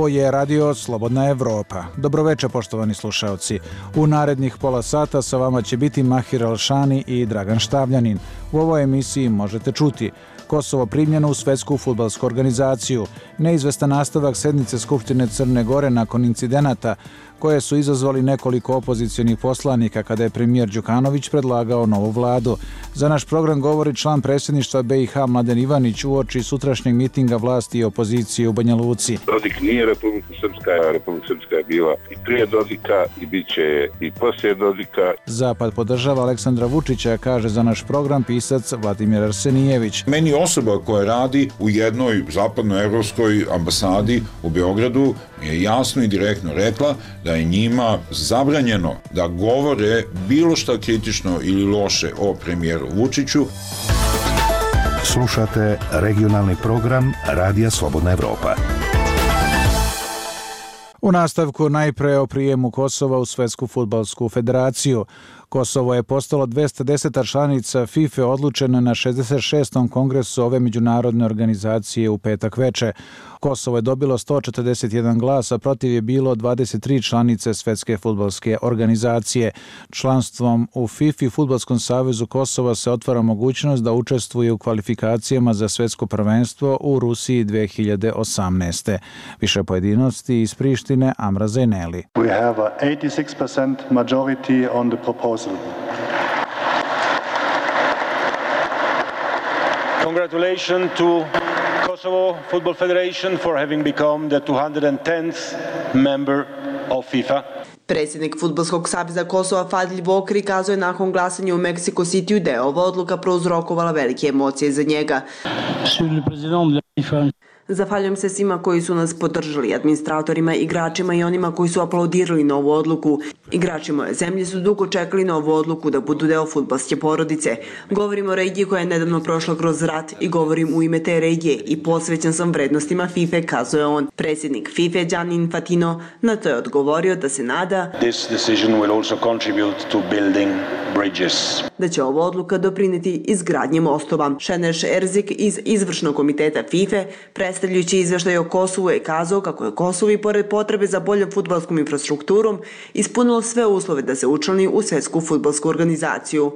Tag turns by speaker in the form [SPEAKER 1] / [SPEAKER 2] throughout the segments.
[SPEAKER 1] Ovo je Radio Slobodna Evropa. Dobroveče, poštovani slušaoci. U narednih pola sata sa vama će biti Mahir Alšani i Dragan Štavljanin. U ovoj emisiji možete čuti Kosovo primljeno u Svetsku fudbalsku organizaciju, neizvestan nastavak sednice Skupštine Crne Gore nakon incidenata koje su izazvali nekoliko opozicionih poslanika kada je premijer Đukanović predlagao novu vladu. Za naš program govori član predsjedništva BiH Mladen Ivanić uoči sutrašnjeg mitinga vlasti i opozicije u Banja Luci.
[SPEAKER 2] Dodik nije Republika Srpska, Republika Srpska je bila i prije Dodika i bit će i poslije Dodika.
[SPEAKER 1] Zapad podržava Aleksandra Vučića, kaže za naš program pisac Vladimir Arsenijević.
[SPEAKER 3] Meni osoba koja radi u jednoj zapadnoevropskoj ambasadi u Beogradu je jasno i direktno rekla da je njima zabranjeno da govore bilo šta kritično ili loše o premijeru Vučiću.
[SPEAKER 4] Slušate regionalni program Radija Slobodna Evropa.
[SPEAKER 1] U nastavku najpre o prijemu Kosova u Svetsku fudbalsku federaciju. Kosovo je postalo 210. članica FIFA odlučena na 66. kongresu ove međunarodne organizacije u petak veče. Kosovo je dobilo 141 glas, a protiv je bilo 23 članice Svetske fudbalske organizacije. Članstvom u FIFA i Fudbalskom savezu Kosova se otvara mogućnost da učestvuje u kvalifikacijama za svetsko prvenstvo u Rusiji 2018. Više pojedinosti iz Prištine, Amra Zaineli.
[SPEAKER 5] We have a 86% majority on the proposal.
[SPEAKER 6] Congratulations to Kosovo Football Federation for having become the 210th member of FIFA.
[SPEAKER 7] Predsjednik Fudbalskog saveza Kosova Fadil Vokri kazao je nakon glasanja u Mexico Cityu da je ova odluka prouzrokovala velike emocije za njega. Zahvaljujem se svima koji su nas podržali, administratorima, igračima i onima koji su aplaudirali na ovu odluku. Igrači moje zemlje su dugo čekali na ovu odluku da budu deo fudbalske porodice. Govorim o regiji koja je nedavno prošla kroz rat i govorim u ime te regije i posvećen sam vrednostima FIFA, kazao je on. Predsjednik FIFA Gianni Infantino na to je odgovorio da se nada da će ova odluka doprineti izgradnji mostova. Šeneš Erzik iz izvršnog komiteta FIFA, predstavljajući izveštaj o Kosovu, je kazao kako je Kosovo i pored potrebe za boljom fudbalskom infrastrukturom ispunilo sve uslove da se učlani u Svetsku fudbalsku organizaciju.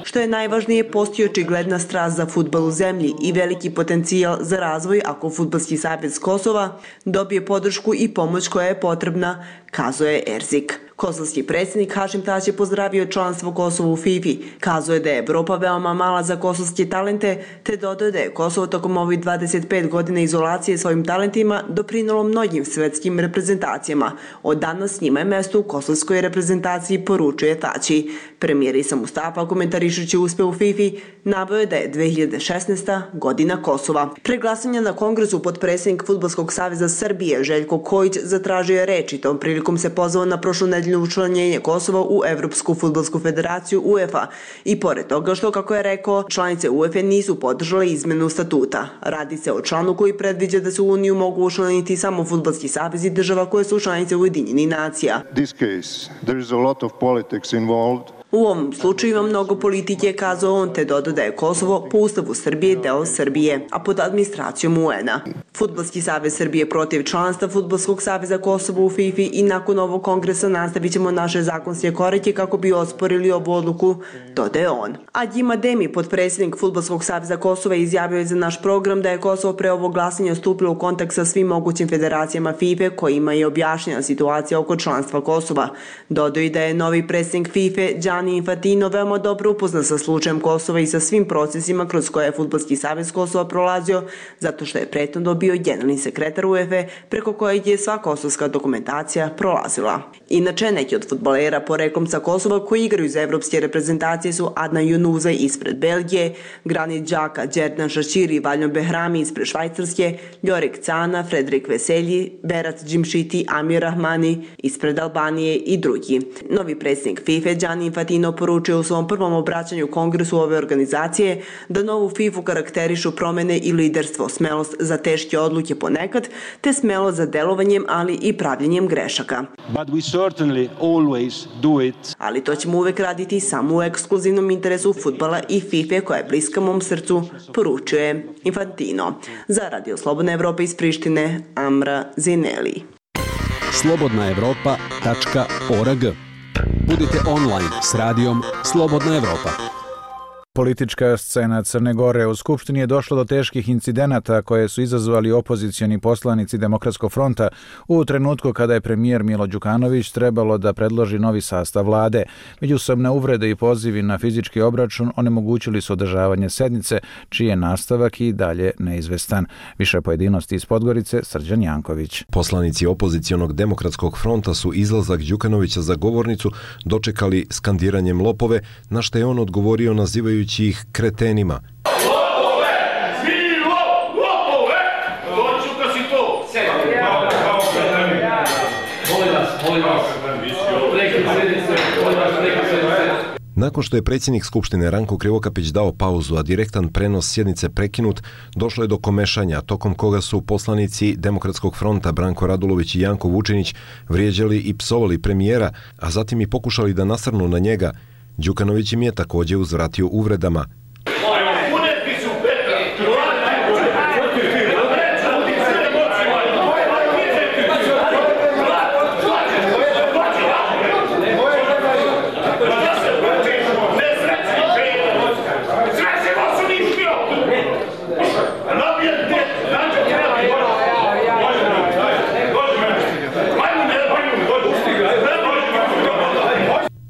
[SPEAKER 7] Što je najvažnije, postoji očigledna strast za fudbal u zemlji i veliki potencijal za razvoj ako Fudbalski savez Kosova dobije podršku i pomoć koja je potrebna, kazao je Erzik. Kosovski predsjednik Hašim Tač je pozdravio članstvo Kosova u FIFA. Kazao je da je Evropa veoma mala za kosovske talente, te dodao da je Kosovo tokom ovih 25 godina izolacije svojim talentima doprinalo mnogim svetskim reprezentacijama. Od danas njima je mesto u kosovskoj reprezentaciji, poručuje Tači. Premijer Isa Mustafa, komentarišući uspeh u FIFA, naveo je da je 2016. godina Kosova. Pre glasanja na kongresu potpredsjednik Fudbalskog saveza Srbije Željko Kojić zatražio je reč i tom prilikom se pozvao na prošlu nedelju učlanjenje Kosova u Evropsku fudbalsku federaciju UEFA i pored toga što, kako je rekao, članice UEFA nisu podržale izmenu statuta. Radi se o članu koji predviđa da se u Uniju mogu učlaniti samo fudbalski savezi država koje su članice Ujedinjenih nacija. U ovom slučaju ima mnogo politike, kazao on, te dodao da je Kosovo po ustavu Srbije deo Srbije, a pod administracijom UN-a. Fudbalski savez Srbije protiv članstva Fudbalskog saveza Kosova u FIFA i nakon ovog kongresa nastavit ćemo naše zakonske korake kako bi osporili ovu odluku, dodaje on. Adjim Ademi, potpredsjednik Fudbalskog saveza Kosova, izjavio je za naš program da je Kosovo pre ovog glasanja stupilo u kontakt sa svim mogućim federacijama FIFA kojima je objašnjena situacija oko članstva Kosova. Dodao i da je novi predsjednik FIFA Gianni Infantino veoma dobro upoznan sa slučajem Kosova i sa svim procesima kroz koje je Fudbalski savez Kosova prolazio, zato što je prethodno bio generalni sekretar UEFA, preko kojeg je sva kosovska dokumentacija prolazila. Inače, neki od fudbalera poreklom sa Kosova koji igraju za evropske reprezentacije su Adnan Junuza ispred Belgije, Granit Xhaka, Džerdan Šaširi i Valjon Behrami ispred Švajcarske, Ljorek Cana, Fredrik Veselji, Berat Džimšiti, Amir Rahmani ispred Albanije i drugi. Novi predsjednik FIFA Gianni Infantino Infantino poručio u svom prvom obraćanju Kongresu ove organizacije da novu FIFA karakterišu promene i liderstvo, smelost za teške odluke ponekad, te smelost za delovanjem, ali i pravljenjem grešaka. Ali to ćemo uvek raditi samo u ekskluzivnom interesu fudbala i FIFA koja je bliska mom srcu, poručuje Infantino. Za Radio Slobodna Evropa iz Prištine, Amra Zineli.
[SPEAKER 8] slobodnaevropa.org. Budite online s radijom Slobodna Evropa.
[SPEAKER 1] Politička scena Crne Gore. U Skupštini je došlo do teških incidenata koje su izazvali opozicioni poslanici Demokratskog fronta u trenutku kada je premijer Milo Đukanović trebalo da predloži novi sastav vlade. Međusobne uvrede i pozivi na fizički obračun onemogućili su održavanje sednice, čiji je nastavak i dalje neizvestan. Više pojedinosti iz Podgorice, Srđan Janković.
[SPEAKER 9] Poslanici opozicionog Demokratskog fronta su izlazak Đukanovića za govornicu dočekali skandiranjem lopove, na što je on odgovorio nazivajući ih kretenima.
[SPEAKER 10] Lopove! Svi lopove! Doću ka si to!
[SPEAKER 9] Nakon što je predsjednik Skupštine Ranko Krivokapić dao pauzu, a direktan prenos sjednice prekinut, došlo je do komešanja, tokom koga su poslanici Demokratskog fronta Branko Radulović i Janko Vučinić vrijeđali i psovali premijera, a zatim i pokušali da nasrnu na njega. Đukanović im je također uzvratio uvredama.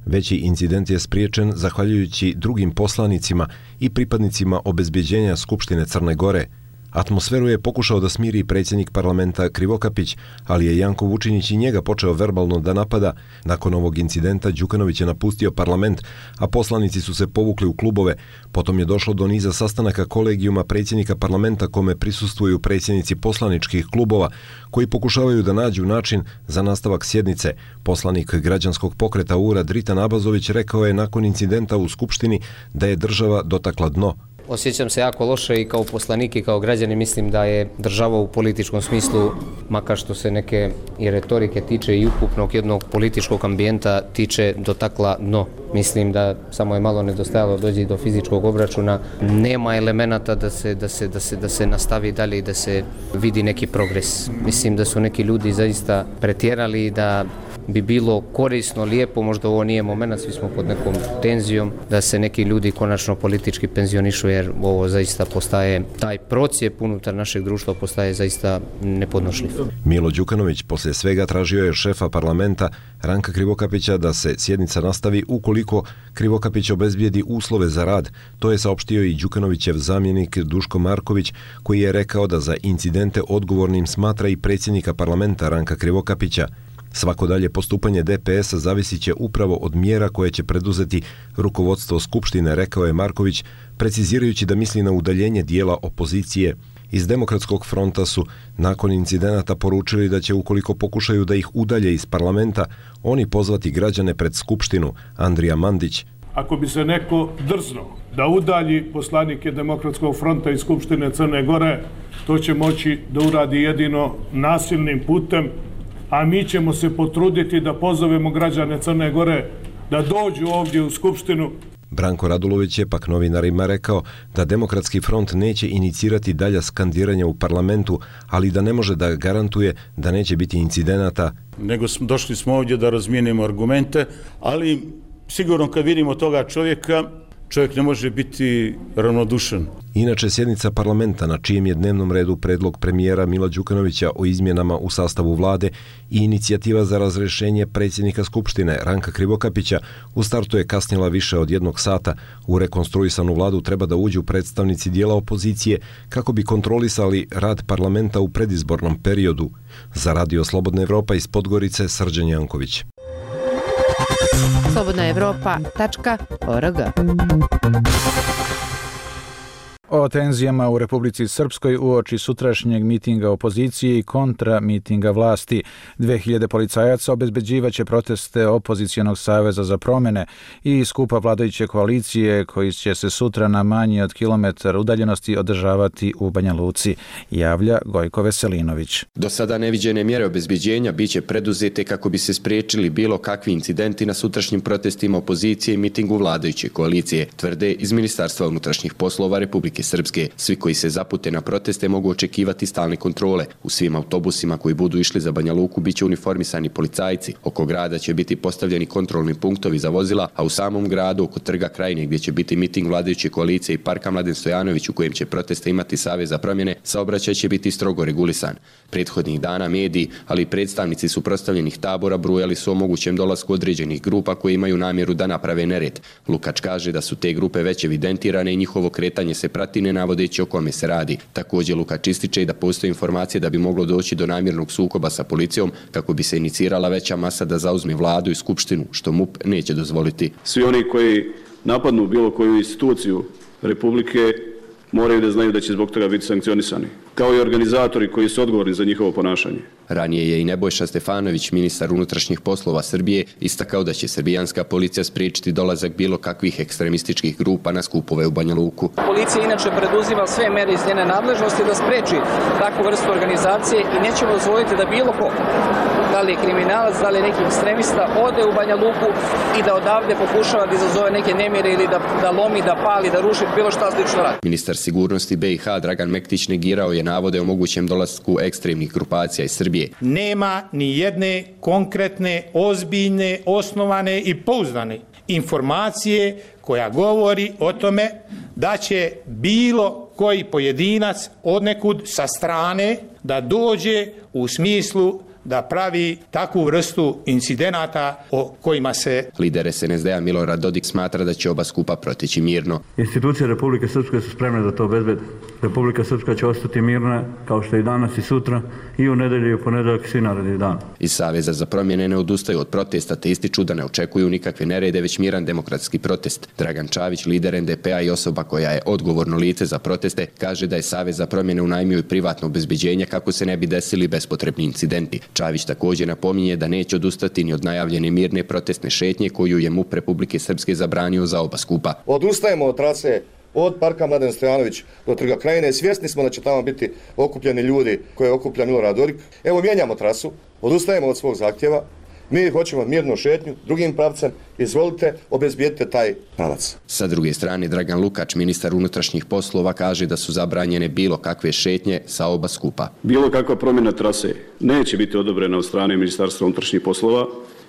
[SPEAKER 9] Veći incident je spriječen zahvaljujući drugim poslanicima i pripadnicima obezbeđenja Skupštine Crne Gore. Atmosferu je pokušao da smiri predsjednik parlamenta Krivokapić, ali je Janko Vučinić i njega počeo verbalno da napada. Nakon ovog incidenta Đukanović je napustio parlament, a poslanici su se povukli u klubove. Potom je došlo do niza sastanaka kolegijuma predsjednika parlamenta kome prisustvuju predsjednici poslaničkih klubova, koji pokušavaju da nađu način za nastavak sjednice. Poslanik građanskog pokreta URA Dritan Abazović rekao je nakon incidenta u Skupštini da je država dotakla dno.
[SPEAKER 11] Osjećam se jako loše i kao poslanik i kao građani mislim da je država u političkom smislu, makar što se neke i retorike tiče i ukupnog jednog političkog ambijenta tiče, dotakla dno. Mislim da samo je malo nedostajalo dođe do fizičkog obračuna. Nema elemenata da se nastavi dalje i da se vidi neki progres. Mislim da su neki ljudi zaista pretjerali i da bi bilo korisno, lijepo, možda ovo nije moment, svi smo pod nekom tenzijom, da se neki ljudi konačno politički penzionišu, jer ovo zaista postaje, taj procijep unutar našeg društva postaje zaista nepodnošljiv.
[SPEAKER 9] Milo Đukanović poslije svega tražio je šefa parlamenta Ranka Krivokapića da se sjednica nastavi ukoliko Krivokapić obezbijedi uslove za rad. To je saopštio i Đukanovićev zamjenik Duško Marković, koji je rekao da za incidente odgovornim smatra i predsjednika parlamenta Ranka Krivokapića. Svako dalje postupanje DPS-a zavisit će upravo od mjera koje će preduzeti rukovodstvo Skupštine, rekao je Marković, precizirajući da misli na udaljenje dijela opozicije. Iz Demokratskog fronta su nakon incidenata poručili da će, ukoliko pokušaju da ih udalje iz parlamenta, oni pozvati građane pred Skupštinu. Andrija Mandić.
[SPEAKER 12] Ako bi se neko drznuo da udalji poslanike Demokratskog fronta iz Skupštine Crne Gore, to će moći da uradi jedino nasilnim putem, a mi ćemo se potruditi da pozovemo građane Crne Gore da dođu ovdje u Skupštinu.
[SPEAKER 9] Branko Radulović je pak novinarima rekao da Demokratski front neće inicirati dalja skandiranja u parlamentu, ali da ne može da garantuje da neće biti incidenata.
[SPEAKER 13] Nego došli smo ovdje da razmijenimo argumente, ali sigurno kad vidimo toga čovjeka, čovjek ne može biti ravnodušan.
[SPEAKER 9] Inače, sjednica parlamenta na čijem je dnevnom redu predlog premijera Mila Đukanovića o izmjenama u sastavu vlade i inicijativa za razrješenje predsjednika Skupštine Ranka Krivokapića u startu je kasnila više od 1 sata. U rekonstruisanu vladu treba da uđu predstavnici dijela opozicije kako bi kontrolisali rad parlamenta u predizbornom periodu. Za Radio Slobodna Evropa iz Podgorice, Srđan Janković.
[SPEAKER 14] slobodnaevropa.org.
[SPEAKER 1] O tenzijama u Republici Srpskoj uoči sutrašnjeg mitinga opozicije i kontra mitinga vlasti. 2000 policajaca obezbeđivaće proteste Opozicionog saveza za promjene i skupa vladajuće koalicije koji će se sutra na manje od kilometar udaljenosti održavati u Banja Luci, javlja Gojko Veselinović.
[SPEAKER 14] Do sada neviđene mjere obezbeđenja biće preduzete kako bi se spriječili bilo kakvi incidenti na sutrašnjim protestima opozicije i mitingu vladajuće koalicije, tvrde iz Ministarstva unutrašnjih poslova Republike Srpske. Svi koji se zapute na proteste mogu očekivati stalne kontrole. U svim autobusima koji budu išli za Banja Luku biće uniformisani policajci. Oko grada će biti postavljeni kontrolni punktovi za vozila, a u samom gradu oko Trga Krajine gdje će biti miting vladajuće koalicije i Parka Mladen Stojanović u kojem će proteste imati Savez za promjene, saobraćaj će biti strogo regulisan. Prethodnih dana mediji, ali i predstavnici suprotstavljenih tabora brujali su o mogućem dolasku određenih grupa koje imaju namjeru da naprave nered. Lukač kaže da su te grupe već evidentirane i njihovo kretanje se prati ne navodeći o kome se radi. Također Lukač ističe da postoje informacije da bi moglo doći do namjernog sukoba sa policijom kako bi se inicirala veća masa da zauzme vladu i skupštinu, što MUP neće dozvoliti.
[SPEAKER 15] Svi oni koji napadnu bilo koju instituciju Republike moraju da znaju da će zbog toga biti sankcionisani, kao i organizatori koji su odgovorni za njihovo ponašanje.
[SPEAKER 14] Ranije je i Nebojša Stefanović, ministar unutrašnjih poslova Srbije, istakao da će srbijanska policija spriječiti dolazak bilo kakvih ekstremističkih grupa na skupove u Banja Luku.
[SPEAKER 16] Policija inače preduzima sve mere iz njene nadležnosti da spreči takvu vrstu organizacije i nećemo dozvoliti da bilo ko, da li je kriminalac, da li je neki ekstremista, ode u Banja Luku i da odavde pokušava da izazove neke nemire ili da lomi, da pali, da ruši, bilo šta slično radi.
[SPEAKER 14] Ministar sigurnosti BiH Dragan Mektić negirao je navode o mogućem dolasku ekstremnih grupacija iz Srbije.
[SPEAKER 17] Nema ni jedne konkretne, ozbiljne, osnovane i pouzdane informacije koja govori o tome da će bilo koji pojedinac odnekud sa strane da dođe u smislu da pravi takvu vrstu incidenata o kojima se...
[SPEAKER 14] Lider SNSD-a Milorad Dodik smatra da će oba skupa proteći mirno.
[SPEAKER 18] Institucije Republike Srpske su spremne da to obezbede. Republika Srpska će ostati mirna kao što i danas i sutra i u nedelju i u ponedeljak svi naredni dan.
[SPEAKER 14] Iz Saveza za promjene ne odustaju od protesta te ističu da ne očekuju nikakve nerede, već miran demokratski protest. Dragan Čavić, lider NDP-a i osoba koja je odgovorno lice za proteste, kaže da je Savez za promjene unajmio i privatno obezbeđenje kako se ne bi desili bespotrebni incidenti. Čavić također napominje da neće odustati ni od najavljene mirne protestne šetnje koju je MUP Republike Srpske zabranio za oba skupa.
[SPEAKER 19] Odustajemo od trase od Parka Mladen Stojanović do Trga Krajine. Svjesni smo da će tamo biti okupljeni ljudi koje okuplja Milorad Dodik. Evo, mijenjamo trasu, odustajemo od svog zahtjeva. Mi hoćemo mirnu šetnju drugim pravcem, izvolite, obezbijedite taj pravac.
[SPEAKER 14] Sa druge strane, Dragan Lukač, ministar unutrašnjih poslova, kaže da su zabranjene bilo kakve šetnje sa oba skupa.
[SPEAKER 15] Bilo kakva promjena trase neće biti odobrena od strane Ministarstva unutrašnjih poslova,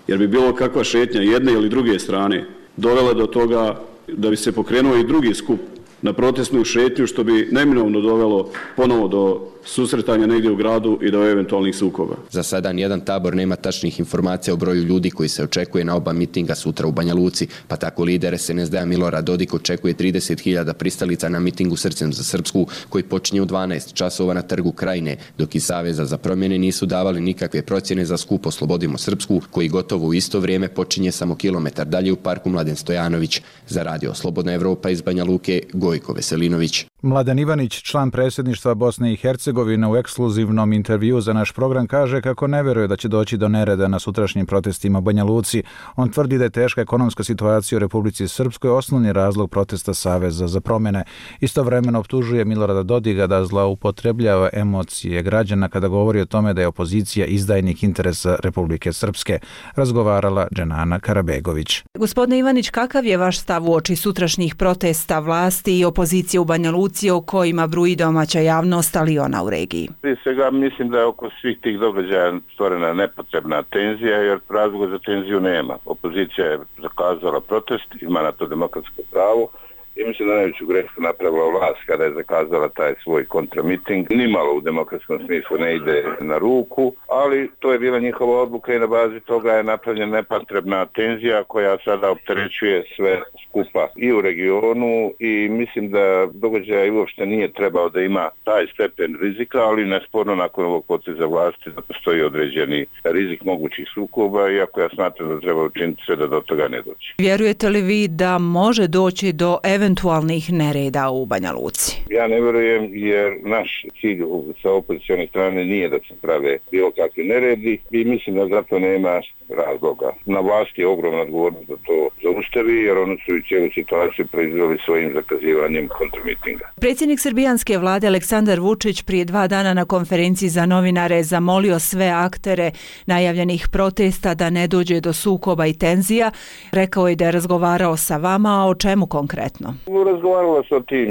[SPEAKER 15] jer bi bilo kakva šetnja jedne ili druge strane dovela do toga da bi se pokrenuo i drugi skup na protestnu šetnju, što bi neminovno dovelo ponovo do susretanja negdje u gradu i do eventualnih sukoba.
[SPEAKER 14] Za sada nijedan tabor nema tačnih informacija o broju ljudi koji se očekuje na oba mitinga sutra u Banja Luci, pa tako lider SNSD-a Milorad Dodik očekuje 30.000 pristalica na mitingu Srcem za Srpsku koji počinje u 12 časova na Trgu Krajine, dok iz Saveza za promjene nisu davali nikakve procjene za skup Oslobodimo Srpsku koji gotovo u isto vrijeme počinje samo kilometar dalje u Parku Mladen Stojanović. Za radio Slobodna Evropa iz Banja Luke, Gojko Veselinović.
[SPEAKER 1] Mladen Ivanić, član predsjedništva Bosne i Hercegovine, u ekskluzivnom intervjuu za naš program kaže kako ne vjeruje da će doći do nereda na sutrašnjim protestima u Banja Luci. On tvrdi da je teška ekonomska situacija u Republici Srpskoj osnovni razlog protesta Saveza za promjene. Istovremeno optužuje Milorada Dodiga da zloupotrebljava emocije građana kada govori o tome da je opozicija izdajnik interesa Republike Srpske. Razgovarala Dženana Karabegović.
[SPEAKER 20] Gospodine Ivanić, kakav je vaš stav uoči sutrašnjih protesta vlasti i opozicije u Banja Luci o kojima bruji domaća javnost, ali i ona u regiji?
[SPEAKER 2] Prije svega mislim da je oko svih tih događaja stvorena nepotrebna tenzija, jer razloga za tenziju nema. Opozicija je zakazala protest, ima na to demokratsko pravo i mislim da najveću grešku napravila vlast kada je zakazala taj svoj kontramiting. Nimalo u demokratskom smislu ne ide na ruku, ali to je bila njihova odluka i na bazi toga je napravljena nepotrebna tenzija koja sada opterećuje sve skupa i u regionu i mislim da događaj uopšte nije trebao da ima taj stepen rizika, ali nesporno nakon ovog poteza vlasti da postoji određeni rizik mogućih sukoba, iako ja smatram da treba učiniti sve da do toga ne doći.
[SPEAKER 20] Vjerujete li vi da može doći do eventualnog eventualnih nereda u Banja Luci?
[SPEAKER 2] Ja ne vjerujem jer naš cilj sa opozicione strane nije da se prave bilo kakvi neredi i mislim da zato nema razloga. Na vlasti je ogromna odgovornost da to zaustavi jer oni su i cijelu situaciju proizveli svojim zakazivanjem kontramitinga.
[SPEAKER 20] Predsjednik srbijanske vlade Aleksandar Vučić prije 2 dana na konferenciji za novinare zamolio sve aktere najavljenih protesta da ne dođe do sukoba i tenzija. Rekao je da je razgovarao sa vama, a o čemu konkretno?
[SPEAKER 2] Razgovaralo se o tim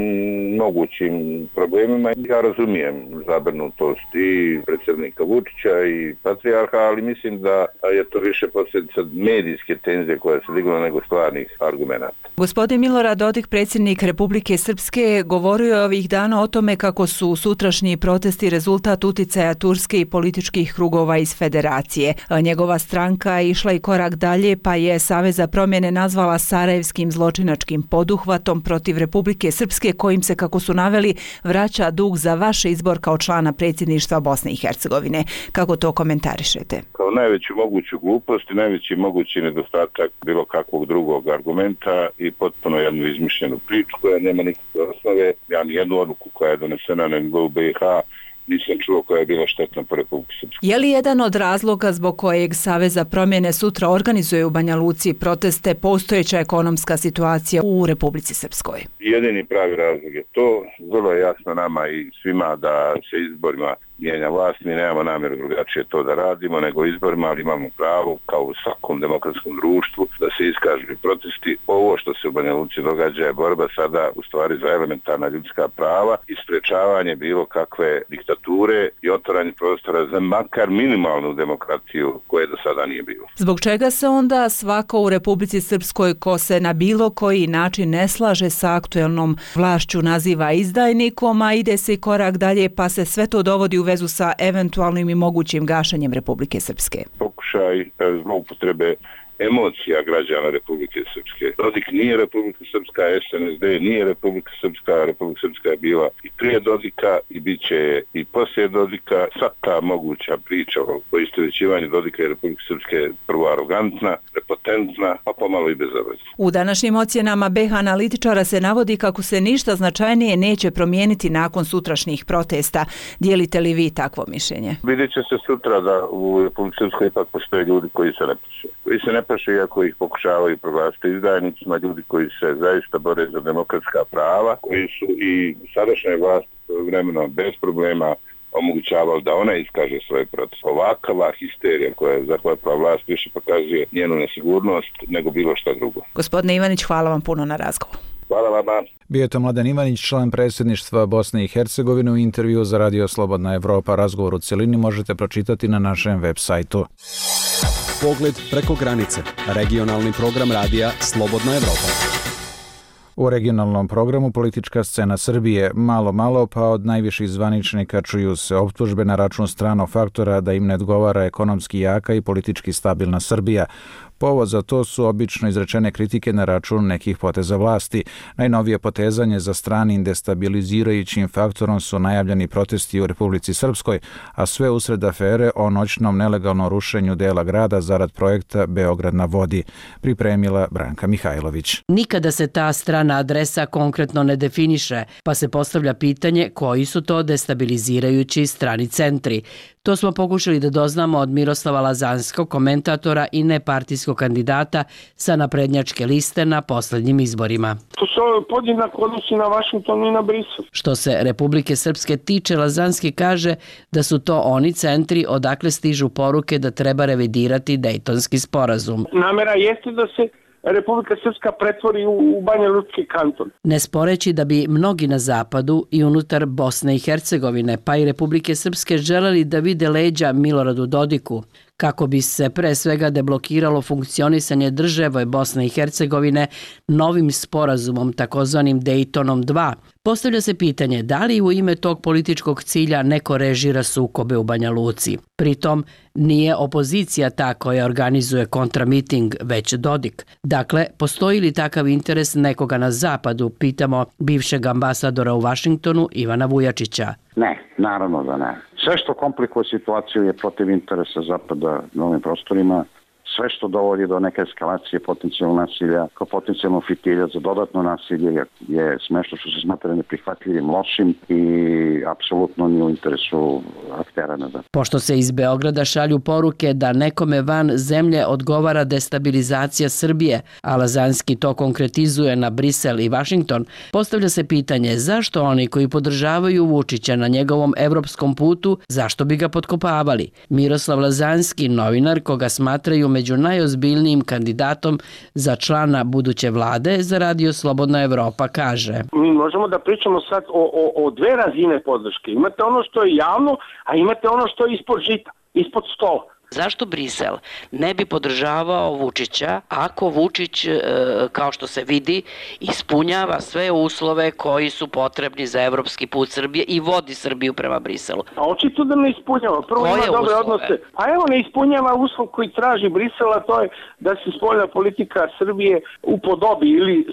[SPEAKER 2] mogućim problemima. Ja razumijem zabrinutost i predsjednika Vučića i patrijarha, ali mislim da je to više posljedica medijske tenzije koja se digla nego stvarnih argumenata.
[SPEAKER 20] Gospodin Milorad Dodik, predsjednik Republike Srpske, govorio je ovih dana o tome kako su sutrašnji protesti rezultat uticaja Turske i političkih krugova iz federacije. Njegova stranka je išla i korak dalje pa je Savez za promjene nazvala sarajevskim zločinačkim poduhvatom protiv Republike Srpske kojim se, kako su naveli, vraća dug za vaš izbor kao člana predsjedništva Bosne i Hercegovine. Kako to komentarišete?
[SPEAKER 2] Kao najveću moguću glupost i najveći mogući nedostatak bilo kakvog drugog argumenta i potpuno jednu izmišljenu priču koja nema nikakve osnove. Ja nijednu odluku koja je donesena na nivou BiH nisam čuo koja je bila štetna po Republike Srpske.
[SPEAKER 20] Je li jedan od razloga zbog kojeg Savez za promjene sutra organizuje u Banja Luci proteste postojeća ekonomska situacija u Republici Srpskoj?
[SPEAKER 2] Jedini pravi razlog je to. Vrlo je jasno nama i svima da se izborima mijenja vlast. Mi nemamo namjeru drugačije to da radimo nego izborima, ali imamo pravo kao u svakom demokratskom društvu da se iskažu protesti. Ovo što se u Banja Luci događa je borba sada u stvari za elementarna ljudska prava i sprečavanje bilo kakve diktature i otvaranje prostora za makar minimalnu demokratiju koje do sada nije bilo.
[SPEAKER 20] Zbog čega se onda svako u Republici Srpskoj ko se na bilo koji način ne slaže sa aktuelnom vlašću naziva izdajnikom, a ide se i korak dalje pa se sve to dovodi u vezu sa eventualnim i mogućim gašenjem Republike Srpske?
[SPEAKER 2] Pokušaj zloupotrebe emocija građana Republike Srpske. Dodik nije Republika Srpska, SNSD nije Republika Srpska, Republika Srpska je bila i prije Dodika i bit će i poslije Dodika. Sva ta moguća priča o poistovjećivanju Dodika i Republike Srpske je prvo arogantna, prepotentna, a pomalo i bezobrazna.
[SPEAKER 20] U današnjim ocjenama BiH analitičara se navodi kako se ništa značajnije neće promijeniti nakon sutrašnjih protesta. Dijelite li vi takvo mišljenje?
[SPEAKER 2] Vidjet će se sutra da u Republike Srpskoj ipak postoje ljudi koji se ne paše. Koji se ne paše iako ih pokušavaju proglasiti izdajnicima, ljudi koji se zaista bore za demokratska prava, koji su i sadašnje vlast vremeno bez problema omogućavali da ona iskaže svoje proteste. Ovakva histerija koja je zahvatila vlast više pokazuje njenu nesigurnost nego bilo šta drugo.
[SPEAKER 20] Gospodine Ivanić, hvala vam puno na razgovoru.
[SPEAKER 2] Hvala vama.
[SPEAKER 1] Bio je to Mladen Ivanić, član predsjedništva Bosne i Hercegovine, u intervju za Radio Slobodna Evropa. Razgovor u cjelini možete pročitati na našem web sajtu.
[SPEAKER 8] Pogled preko granice. Regionalni program radija Slobodna Evropa.
[SPEAKER 1] U regionalnom programu politička scena Srbije. Malo pa od najviših zvaničnika čuju se optužbe na račun stranog faktora da im ne odgovara ekonomski jaka i politički stabilna Srbija. Povod za to su obično izrečene kritike na račun nekih poteza vlasti. Najnovije potezanje za stranim destabilizirajućim faktorom su najavljeni protesti u Republici Srpskoj, a sve usred afere o noćnom nelegalnom rušenju dela grada zarad projekta Beograd na vodi, pripremila Branka Mihajlović.
[SPEAKER 21] Nikada se ta strana adresa konkretno ne definiše, pa se postavlja pitanje koji su to destabilizirajući strani centri. To smo pokušali da doznamo od Miroslava Lazanskog, komentatora i nepartijskog kandidata sa naprednjačke liste na posljednjim izborima.
[SPEAKER 22] To se podjednako odnosi na Vašington i na Brisel.
[SPEAKER 21] Što se Republike Srpske tiče, Lazanski kaže da su to oni centri odakle stižu poruke da treba revidirati Dejtonski sporazum.
[SPEAKER 22] Namera jeste da se Republika Srpska pretvori u Banja Lučki kanton.
[SPEAKER 21] Ne sporeći da bi mnogi na zapadu i unutar Bosne i Hercegovine pa i Republike Srpske želeli da vide leđa Miloradu Dodiku, kako bi se pre svega deblokiralo funkcionisanje države Bosne i Hercegovine novim sporazumom takozvanim Dejtonom 2. Postavlja se pitanje da li u ime tog političkog cilja neko režira sukobe u Banja Luci. Pritom nije opozicija ta koja organizuje kontramiting, već Dodik. Dakle, postoji li takav interes nekoga na zapadu, pitamo bivšeg ambasadora u Vašingtonu Ivana Vujačića.
[SPEAKER 23] Ne, naravno da ne. Sve što komplikuje situaciju je protiv interesa Zapada na ovim prostorima,
[SPEAKER 3] sve što dovodi do neke eskalacije potencijalnog nasilja, kao potencijalnog fitilja za dodatno nasilje je smešno što se smatra neprihvatljivim, lošim i apsolutno nije u interesu aktera.
[SPEAKER 21] Pošto se iz Beograda šalju poruke da nekome van zemlje odgovara destabilizacija Srbije, a Lazanski to konkretizuje na Brisel i Vašington, postavlja se pitanje zašto oni koji podržavaju Vučića na njegovom evropskom putu, zašto bi ga potkopavali? Miroslav Lazanski, novinar koga smatraju među najozbiljnijim kandidatom za člana buduće vlade za Radio Slobodna Evropa, kaže.
[SPEAKER 22] Mi možemo da pričamo sad o dve razine podrške. Imate ono što je javno, a imate ono što je ispod žita, ispod stola.
[SPEAKER 21] Zašto Brisel ne bi podržavao Vučića ako Vučić, kao što se vidi, ispunjava sve uslove koji su potrebni za evropski put Srbije i vodi Srbiju prema Briselu?
[SPEAKER 22] A očito da ne ispunjava. Prvo ima dobre odnose. A evo ne ispunjava uslov koji traži Brisela, to je da se spoljna politika Srbije upodobi ili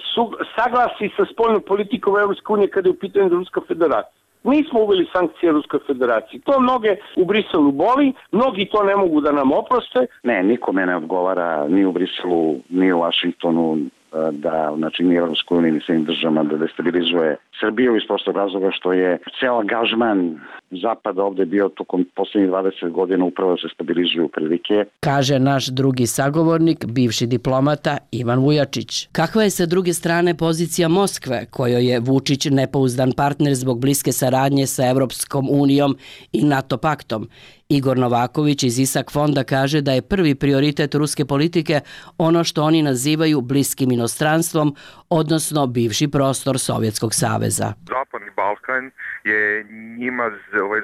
[SPEAKER 22] saglasi sa spoljnom politikom Evropske unije kada je u pitanju Ruska federacija. Mi smo uveli sankcije Ruskoj federaciji. To mnoge u Briselu boli, mnogi to ne mogu da nam oproste.
[SPEAKER 3] Ne, nikome ne odgovara ni u Briselu, ni u Vašingtonu da, znači, ni Evropskoj uniji, ni svim državama da destabilizuje Srbiju iz prostog razloga što je ceo angažman Zapada ovde bio tokom poslednjih 20 godina upravo da se stabilizuju prilike.
[SPEAKER 21] Kaže naš drugi sagovornik, bivši diplomata Ivan Vujačić. Kakva je sa druge strane pozicija Moskve, kojoj je Vučić nepouzdan partner zbog bliske saradnje sa Evropskom unijom i NATO paktom? Igor Novaković iz ISAK fonda kaže da je prvi prioritet ruske politike ono što oni nazivaju bliskim inostranstvom, odnosno bivši prostor Sovjetskog saveza.
[SPEAKER 4] Zapadni Balkan je njima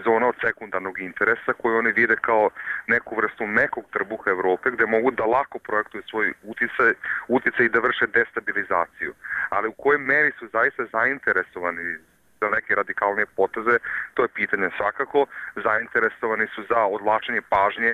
[SPEAKER 4] zona od sekundarnog interesa koju oni vide kao neku vrstu mekog trbuha Evrope gde mogu da lako projektuju svoj uticaj i da vrše destabilizaciju. Ali u kojoj meri su zaista zainteresovani za neke radikalne poteze, to je pitanje. Svakako zainteresovani su za odvlačenje pažnje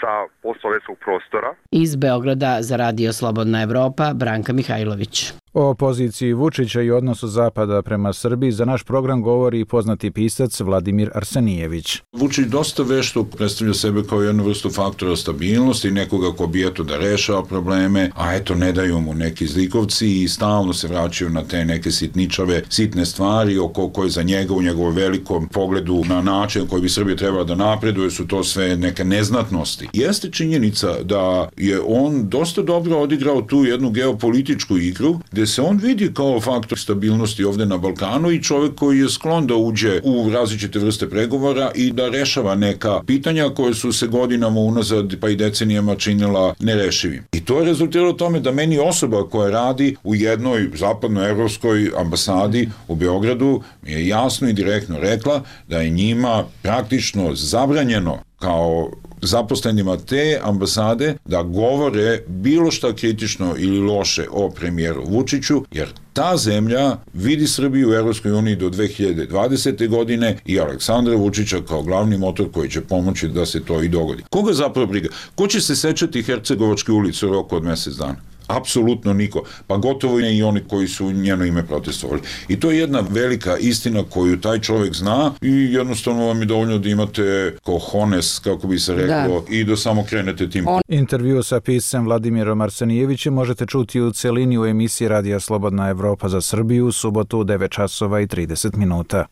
[SPEAKER 4] sa postsovjetskog prostora.
[SPEAKER 21] Iz Beograda za Radio Slobodna Evropa, Branka Mihajlović.
[SPEAKER 1] O poziciji Vučića i odnosu Zapada prema Srbiji za naš program govori i poznati pisac Vladimir Arsenijević.
[SPEAKER 23] Vučić dosta vešto predstavlja sebe kao jednu vrstu faktora stabilnosti, nekoga ko bi eto da rešava probleme, a eto ne daju mu neki zlikovci i stalno se vraćaju na te neke sitničave, sitne stvari oko koje za njega u njegovom velikom pogledu na način koji bi Srbija trebala da napreduje su to sve neke neznatnosti. Jeste činjenica da je on dosta dobro odigrao tu jednu geopolitičku igru, gde se on vidi kao faktor stabilnosti ovde na Balkanu i čovek koji je sklon da uđe u različite vrste pregovora i da rešava neka pitanja koje su se godinama unazad pa i decenijama činila nerešivim. I to je rezultiralo tome da meni osoba koja radi u jednoj zapadnoevropskoj ambasadi u Beogradu mi je jasno i direktno rekla da je njima praktično zabranjeno kao zaposlenima te ambasade da govore bilo šta kritično ili loše o premijeru Vučiću, jer ta zemlja vidi Srbiju u Evropskoj uniji do 2020. godine i Aleksandra Vučića kao glavni motor koji će pomoći da se to i dogodi. Koga zapravo briga? Ko će se sećati Hercegovačke ulice u roku od mesec dana? Apsolutno niko, pa gotovo ne i oni koji su njeno ime protestovali. I to je jedna velika istina koju taj čovjek zna i jednostavno vam je dovoljno da imate cojones, kako bi se reklo, i da samo krenete tim.
[SPEAKER 1] Intervju sa piscem Vladimirom Arsenijevićem možete čuti u celini u emisiji Radija Slobodna Evropa za Srbiju u subotu u 9 časova i 30 minuta.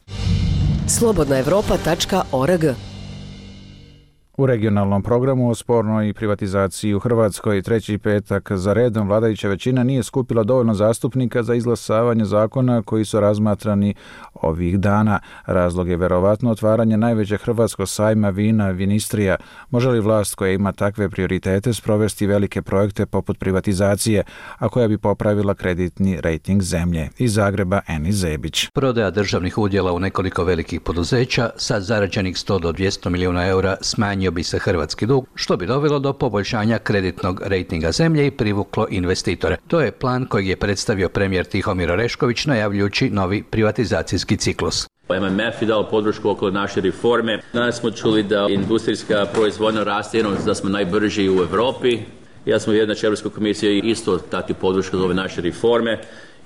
[SPEAKER 24] slobodnaevropa.org.
[SPEAKER 1] U regionalnom programu o spornoj privatizaciji u Hrvatskoj treći petak za redom vladajuća većina nije skupila dovoljno zastupnika za izglasavanje zakona koji su razmatrani ovih dana. Razlog je verovatno otvaranje najvećeg hrvatskog sajma vina Vinistrija. Može li vlast koja ima takve prioritete sprovesti velike projekte poput privatizacije, a koja bi popravila kreditni rejting zemlje? Iz Zagreba Eni Zebić.
[SPEAKER 25] Prodaja državnih udjela u nekoliko velikih poduzeća sa zarađenih 100 do 200 milijuna eura smanjio bi se hrvatski dug, što bi dovelo do poboljšanja kreditnog rejtinga zemlje i privuklo investitore. To je plan kojeg je predstavio premijer Tihomir Orešković najavljujući novi privatizacijski ciklus.
[SPEAKER 26] MMF je dao podršku oko naše reforme. Danas smo čuli da industrijska proizvodnja raste, da smo najbrži u Evropi. Ja sam uvjeren da će Europska komisija isto dati podršku za ove naše reforme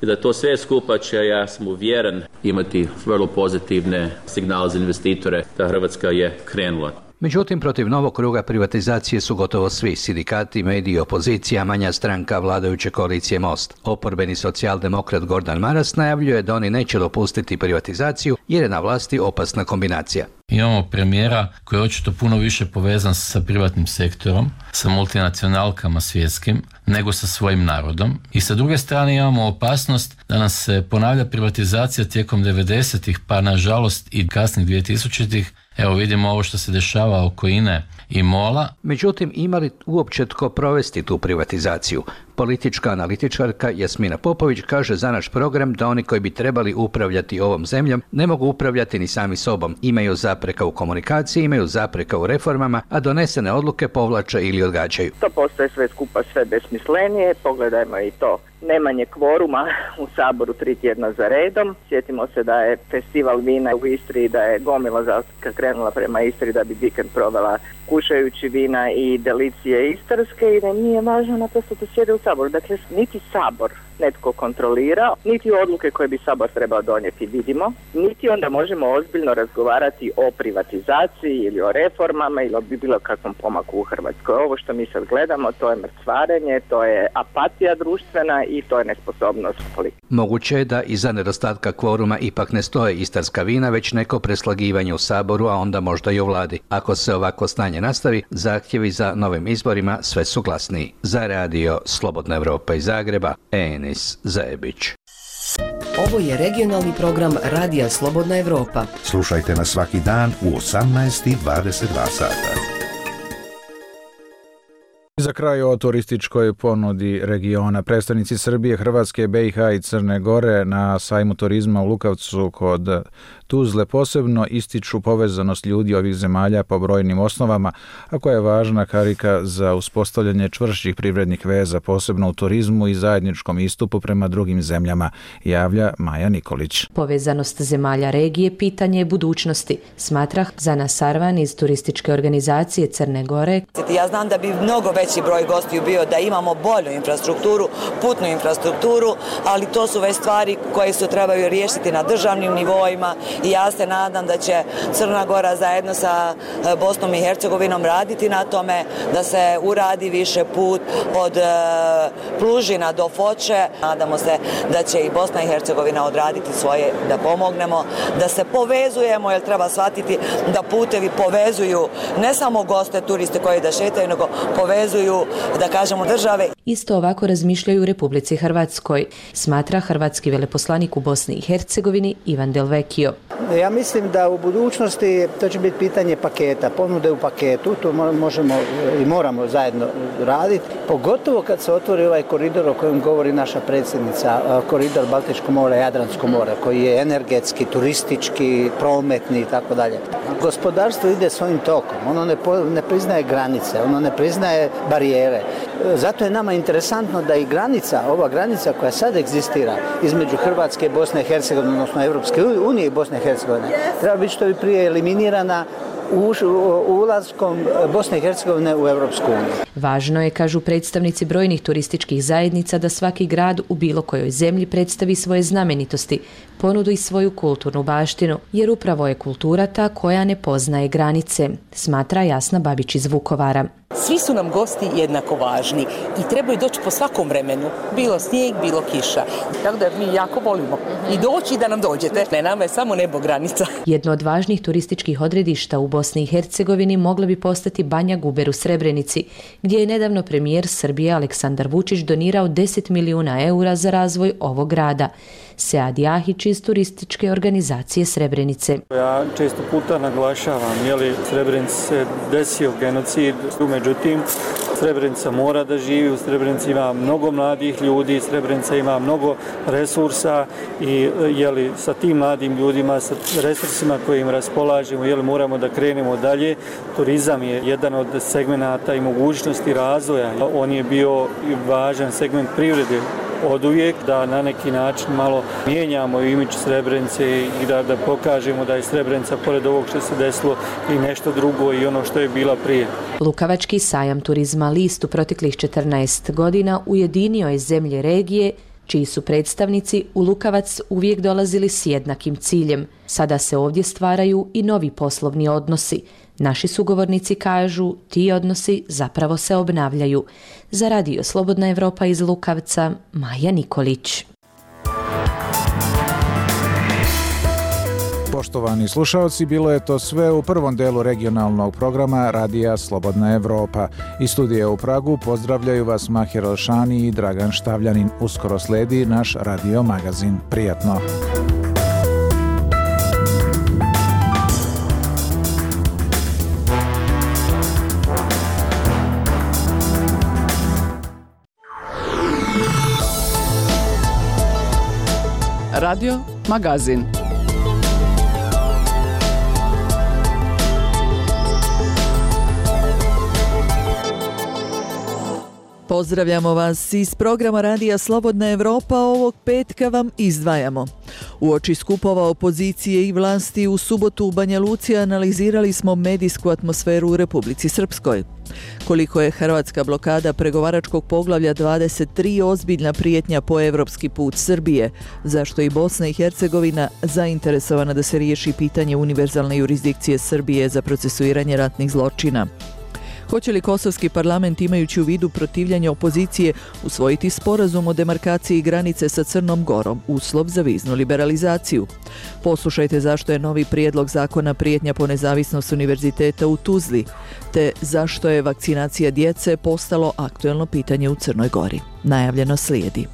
[SPEAKER 26] i da to sve skupa će, ja sam uvjeren, imati vrlo pozitivne signale za investitore da Hrvatska je krenula.
[SPEAKER 25] Međutim, protiv novog kruga privatizacije su gotovo svi sindikati, mediji, opozicija, manja stranka vladajuće koalicije Most. Oporbeni socijaldemokrat Gordan Maras najavljuje da oni neće dopustiti privatizaciju jer je na vlasti opasna kombinacija.
[SPEAKER 5] Imamo premijera koji je očito puno više povezan sa privatnim sektorom, sa multinacionalkama svjetskim, nego sa svojim narodom. I sa druge strane imamo opasnost da nam se ponavlja privatizacija tijekom 90-ih, pa nažalost i kasnih 2000-ih. Evo vidimo ovo što se dešava oko INE i MOL-a.
[SPEAKER 25] Međutim, ima li uopće tko provesti tu privatizaciju? Politička analitičarka Jasmina Popović kaže za naš program da oni koji bi trebali upravljati ovom zemljom ne mogu upravljati ni sami sobom. Imaju zapreka u komunikaciji, imaju zapreka u reformama, a donesene odluke povlače ili odgađaju.
[SPEAKER 6] To postaje sve skupa sve besmislenije. Pogledajmo i to nemanje kvoruma u Saboru 3 tjedna za redom. Sjetimo se da je festival vina u Istri, da je gomila zastupnika krenula prema Istri da bi vikend provela kušajući vina i delicije istarske i da nije važno naprosto da sjede u Saboru. Dakle, niti Sabor netko kontrolira, niti odluke koje bi Sabor trebao donijeti vidimo, niti onda možemo ozbiljno razgovarati o privatizaciji ili o reformama ili o bilo kakvom pomaku u Hrvatskoj. Ovo što mi sad gledamo, to je mrcvarenje, to je apatija društvena i to je nesposobnost politike.
[SPEAKER 25] Moguće je da iza nedostatka kvoruma ipak ne stoje istarska vina, već neko preslagivanje u Saboru, a onda možda i u vladi. Ako se ovako stanje nastavi, zahtjevi za novim izborima sve su glasniji. Za radio Slobodna Evropa iz Zagreba, Enis Zajebić.
[SPEAKER 7] Ovo je regionalni program Radija Slobodna Evropa.
[SPEAKER 10] Slušajte nas svaki dan u 18:22 sata.
[SPEAKER 1] Za kraj o turističkoj ponudi regiona. Predstavnici Srbije, Hrvatske, BiH i Crne Gore na sajmu turizma u Lukavcu kod Tuzle posebno ističu povezanost ljudi ovih zemalja po brojnim osnovama, a koja je važna karika za uspostavljanje čvršćih privrednih veza, posebno u turizmu i zajedničkom istupu prema drugim zemljama, javlja Maja Nikolić.
[SPEAKER 11] Povezanost zemalja regije pitanje je budućnosti, smatra Zana Sarvan iz turističke organizacije Crne Gore.
[SPEAKER 24] Ja znam da bi mnogo veći broj gostiju bio da imamo bolju infrastrukturu, putnu infrastrukturu, ali to su već stvari koje se trebaju riješiti na državnim nivoima i ja se nadam da će Crna Gora zajedno sa Bosnom i Hercegovinom raditi na tome da se uradi više put od Plužina do Foče. Nadamo se da će i Bosna i Hercegovina odraditi svoje, da pomognemo, da se povezujemo, jer treba shvatiti da putevi povezuju ne samo goste, turiste koji da šetaju, nego povezuju, da kažemo, države.
[SPEAKER 11] Isto ovako razmišljaju u Republici Hrvatskoj, smatra hrvatski veleposlanik u Bosni i Hercegovini Ivan Delvekio.
[SPEAKER 27] Ja mislim da u budućnosti to će biti pitanje paketa, ponude u paketu, to možemo i moramo zajedno raditi, pogotovo kad se otvori ovaj koridor o kojem govori naša predsjednica, koridor Baltičko more, Jadransko more, koji je energetski, turistički, prometni i tako dalje. Gospodarstvo ide svojim tokom, ono ne priznaje granice, ono ne priznaje barijere. Zato je nama interesantno da i granica, ova granica koja sad egzistira između Hrvatske, Bosne i Hercegovine, odnosno Europske unije i Bosne i Hercegovine, treba biti što bi prije eliminirana ulaskom Bosne i Hercegovine u Europsku uniju.
[SPEAKER 11] Važno je, kažu predstavnici brojnih turističkih zajednica, da svaki grad u bilo kojoj zemlji predstavi svoje znamenitosti, ponudu i svoju kulturnu baštinu, jer upravo je kultura ta koja ne poznaje granice, smatra Jasna Babić iz Vukovara.
[SPEAKER 28] Svi su nam gosti jednako važni i trebaju doći po svakom vremenu, bilo snijeg, bilo kiša. Tako da mi jako volimo i doći da nam dođete. Ne, nama je samo nebo granica.
[SPEAKER 11] Jedno od važnih turističkih odredišta u Bosni i Hercegovini mogla bi postati Banja Guber u Srebrenici, gdje je nedavno premijer Srbije Aleksandar Vučić donirao 10 milijuna eura za razvoj ovog grada. Sead Jahić iz turističke organizacije Srebrenice.
[SPEAKER 29] Ja često puta naglašavam, Srebrenici se desio genocid, međutim Srebrenica mora da živi, u Srebrenici ima mnogo mladih ljudi, Srebrenica ima mnogo resursa i sa tim mladim ljudima, sa resursima kojim raspolažemo, moramo da krenemo dalje. Turizam je jedan od segmenata i mogućnosti razvoja. On je bio važan segment privrede od uvijek, da na neki način malo mijenjamo imidž Srebrenice i da pokažemo da je Srebrenica, pored ovog što se desilo, i nešto drugo i ono što je bila prije.
[SPEAKER 11] Lukavački sajam turizma List u proteklih 14 godina ujedinio je zemlje regije, čiji su predstavnici u Lukavac uvijek dolazili s jednakim ciljem. Sada se ovdje stvaraju i novi poslovni odnosi. Naši sugovornici kažu, ti odnosi zapravo se obnavljaju. Za Radio Slobodna Evropa iz Lukavca, Maja Nikolić.
[SPEAKER 1] Poštovani slušalci, bilo je to sve u prvom delu regionalnog programa Radija Slobodna Evropa. Iz studija u Pragu pozdravljaju vas Mahir Elšani i Dragan Štavljanin. Uskoro sledi naš radio magazin. Prijatno!
[SPEAKER 9] Radio magazin. Pozdravljamo vas iz programa Radija Slobodna Evropa. Ovog petka vam izdvajamo. Uoči skupova opozicije i vlasti u subotu u Banja Luci analizirali smo medijsku atmosferu u Republici Srpskoj. Koliko je hrvatska blokada pregovaračkog poglavlja 23 ozbiljna prijetnja po evropski put Srbije, zašto je i Bosna i Hercegovina zainteresovana da se riješi pitanje univerzalne jurisdikcije Srbije za procesuiranje ratnih zločina. Hoće li kosovski parlament, imajući u vidu protivljanje opozicije, usvojiti sporazum o demarkaciji granice sa Crnom Gorom, uslov za viznu liberalizaciju? Poslušajte zašto je novi prijedlog zakona prijetnja po nezavisnost univerziteta u Tuzli, te zašto je vakcinacija djece postalo aktuelno pitanje u Crnoj Gori. Najavljeno slijedi.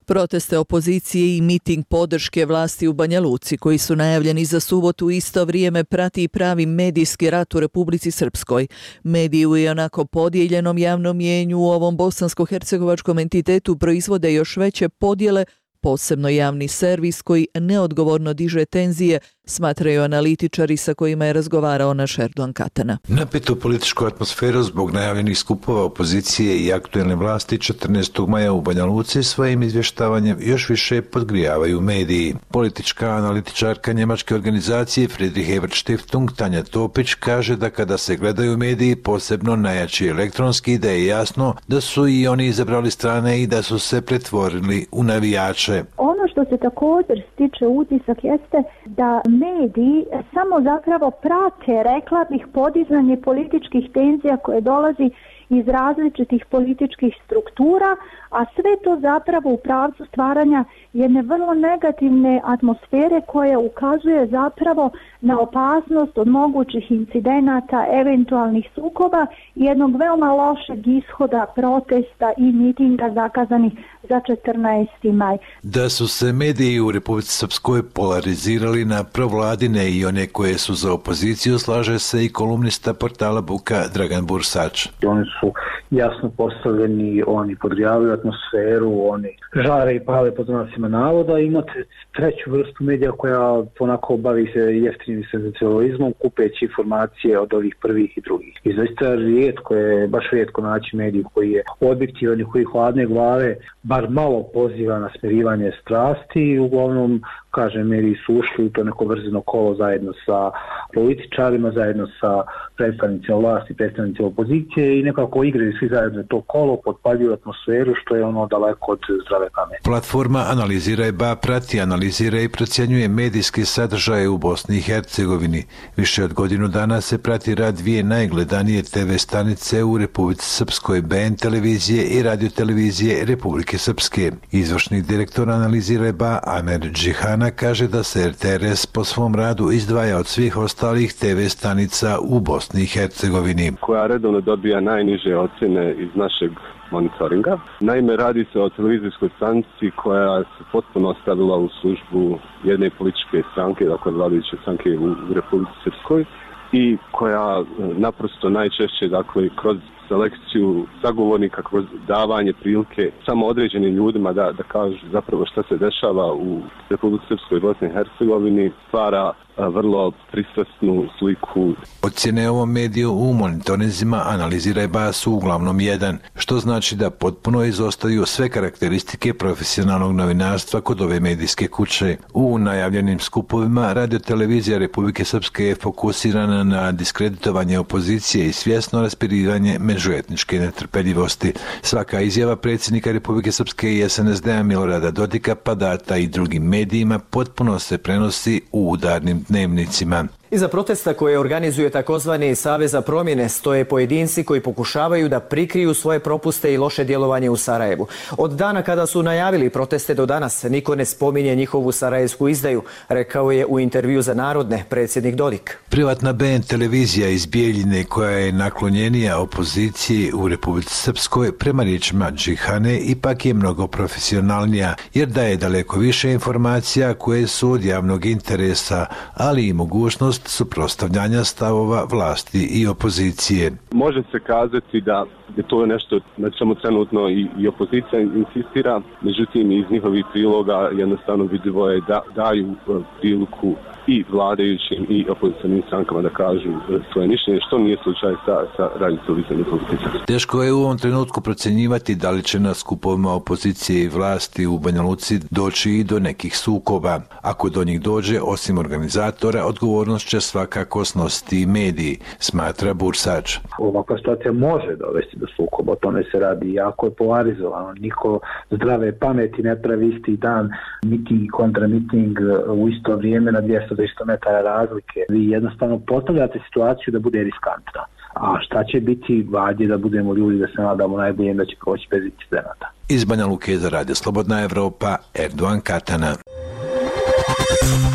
[SPEAKER 9] Proteste opozicije i miting podrške vlasti u Banja Luci, koji su najavljeni za subotu, u isto vrijeme prati i pravi medijski rat u Republici Srpskoj. Mediji u ionako podijeljenom javnom mnijenju u ovom bosansko-hercegovačkom entitetu proizvode još veće podjele, posebno javni servis koji neodgovorno diže tenzije, smatraju analitičari sa kojima je razgovarao naš Erdogan Katana.
[SPEAKER 12] Napetu političku atmosferu zbog najavljenih skupova opozicije i aktuelne vlasti 14. maja u Banja Luci svojim izvještavanjem još više podgrijavaju mediji. Politička analitičarka njemačke organizacije Friedrich Ebert Stiftung Tanja Topić kaže da kada se gledaju mediji, posebno najjači elektronski, da je jasno da su i oni izabrali strane i da su se pretvorili u navijače.
[SPEAKER 13] Ono što se također stiče utisak jeste da mediji samo zapravo prate, rekla bih, podizanje političkih tenzija koje dolazi iz različitih političkih struktura, a sve to zapravo u pravcu stvaranja jedne vrlo negativne atmosfere koja ukazuje zapravo na opasnost od mogućih incidenata, eventualnih sukoba i jednog veoma lošeg ishoda protesta i mitinga zakazanih za 14. maj.
[SPEAKER 12] Da su se mediji u Republici Srpskoj polarizirali na provladine i one koje su za opoziciju, slaže se i kolumnista portala Buka Dragan Bursač.
[SPEAKER 14] Oni su jasno postavljeni, oni podgrijavaju atmosferu, oni žare i pale pod znacima navoda. Imate treću vrstu medija koja ponako bavi se jeftinim senzacionalizmom, kupeći informacije od ovih prvih i drugih. I zaista rijetko je, baš rijetko naći mediju koji je objektivan i koji hladne glave bar malo poziva na smirivanje strasti i uglavnom, kažem, mediji su ušli u to neko vrzino kolo zajedno sa političarima, zajedno sa predstavnicima vlasti, predstavnicima opozicije i nekako igraju svi zajedno to kolo, potpaljuju atmosferu, što je ono daleko od zdrave pameti.
[SPEAKER 12] Platforma Analiziraj.ba prati, analizira i procjenjuje medijske sadržaje u Bosni i Hercegovini. Više od godinu dana se prati rad dvije najgledanije TV stanice u Republici Srpskoj, BN televizije i radio televizije Republike Srpske. Izvršni direktor Analiziraj.ba Amer Džihana kaže da se RTRS po svom radu izdvaja od svih ostalih TV stanica u Bosni i Hercegovini.
[SPEAKER 15] Koja redovno dobija najniže ocjene iz našeg monitoringa. Naime, radi se o televizijskoj stanici koja se potpuno stavila u službu jedne političke stranke, dakle vladajuće stranke u Republici Srpskoj, i koja naprosto najčešće, dakle, kroz selekciju sagovornika, kroz davanje prilike samo određenim ljudima da kažu zapravo šta se dešava u Republici Srpskoj i Bosni i Hercegovini, stvara vrlo pristrasnu sliku.
[SPEAKER 12] Ocjene ovom mediju u monitorinzima Analiziraj.ba su uglavnom jedan, što znači da potpuno izostaju sve karakteristike profesionalnog novinarstva kod ove medijske kuće. U najavljenim skupovima radiotelevizija Republike Srpske je fokusirana na diskreditovanje opozicije i svjesno raspirivanje međuetničke netrpeljivosti. Svaka izjava predsjednika Republike Srpske i SNSD-a Milorada Dodika pa data i drugim medijima potpuno se prenosi u udarnim dnevnicima.
[SPEAKER 2] Iza protesta koje organizuje takozvani Savez za promjene stoje pojedinci koji pokušavaju da prikriju svoje propuste i loše djelovanje u Sarajevu. Od dana kada su najavili proteste do danas niko ne spominje njihovu sarajevsku izdaju, rekao je u intervju za Narodne predsjednik Dodik.
[SPEAKER 12] Privatna BN televizija iz Bijeljine koja je naklonjenija opoziciji u Republici Srpskoj prema riječima Džihane ipak je mnogo profesionalnija jer daje daleko više informacija koje su od javnog interesa, ali i mogućnost suprotstavljanja stavova vlasti i opozicije.
[SPEAKER 15] Može se kazati da je to nešto na čemu trenutno i opozicija insistira, međutim iz njihovih priloga jednostavno vidljivo je da daju priliku i vladajućim i opozicionim strankama da kažu svoje mišljenje, što nije slučaj sa radio-televizijom opozicije.
[SPEAKER 12] Teško je u ovom trenutku procjenjivati da li će na skupovima opozicije i vlasti u Banja Luci doći i do nekih sukoba. Ako do njih dođe, osim organizatora, odgovornost će svakako snositi i mediji, smatra Bursač.
[SPEAKER 14] Ovakva situacija može dovesti do sukoba, o tome se radi, jako je polarizovano. Niko zdrave pameti ne pravi isti dan miting i kontramiting u isto vrijeme na 200 metara razlike. Vi jednostavno postavljate situaciju da bude riskantna. A šta će biti, valjda da budemo ljudi, da se nadamo najbolje da će proći bez incidenata.
[SPEAKER 12] Iz Banja Luke za Radio Slobodna Evropa, Erdogan Katana.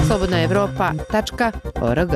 [SPEAKER 3] slobodnaevropa.org.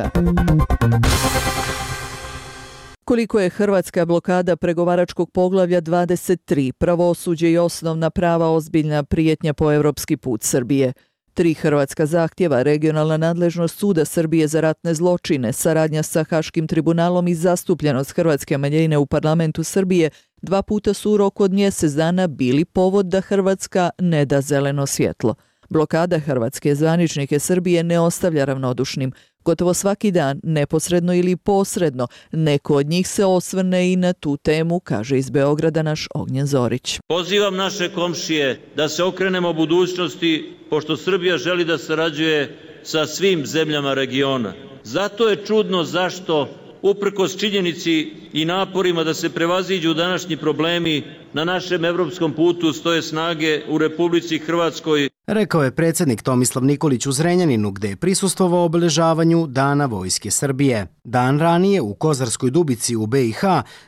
[SPEAKER 9] Koliko je hrvatska blokada pregovaračkog poglavlja 23, pravosuđe i osnovna prava ozbiljna prijetnja po europski put Srbije? 3 hrvatska zahtjeva, regionalna nadležnost Suda Srbije za ratne zločine, saradnja sa Haškim tribunalom i zastupljenost hrvatske manjine u parlamentu Srbije 2 puta su u roku od mjesec dana bili povod da Hrvatska ne da zeleno svjetlo. Blokada hrvatske zvaničnike Srbije ne ostavlja ravnodušnim. Gotovo svaki dan, neposredno ili posredno, neko od njih se osvrne i na tu temu, kaže iz Beograda naš Ognjen Zorić.
[SPEAKER 8] Pozivam naše komšije da se okrenemo budućnosti, pošto Srbija želi da sarađuje sa svim zemljama regiona. Zato je čudno zašto, uprkos činjenici i naporima da se prevaziđu današnji problemi, na našem evropskom putu stoje snage u Republici Hrvatskoj.
[SPEAKER 16] Rekao je predsjednik Tomislav Nikolić u Zrenjaninu, gdje je prisustvovao obeležavanju Dana Vojske Srbije. Dan ranije u Kozarskoj Dubici u BiH,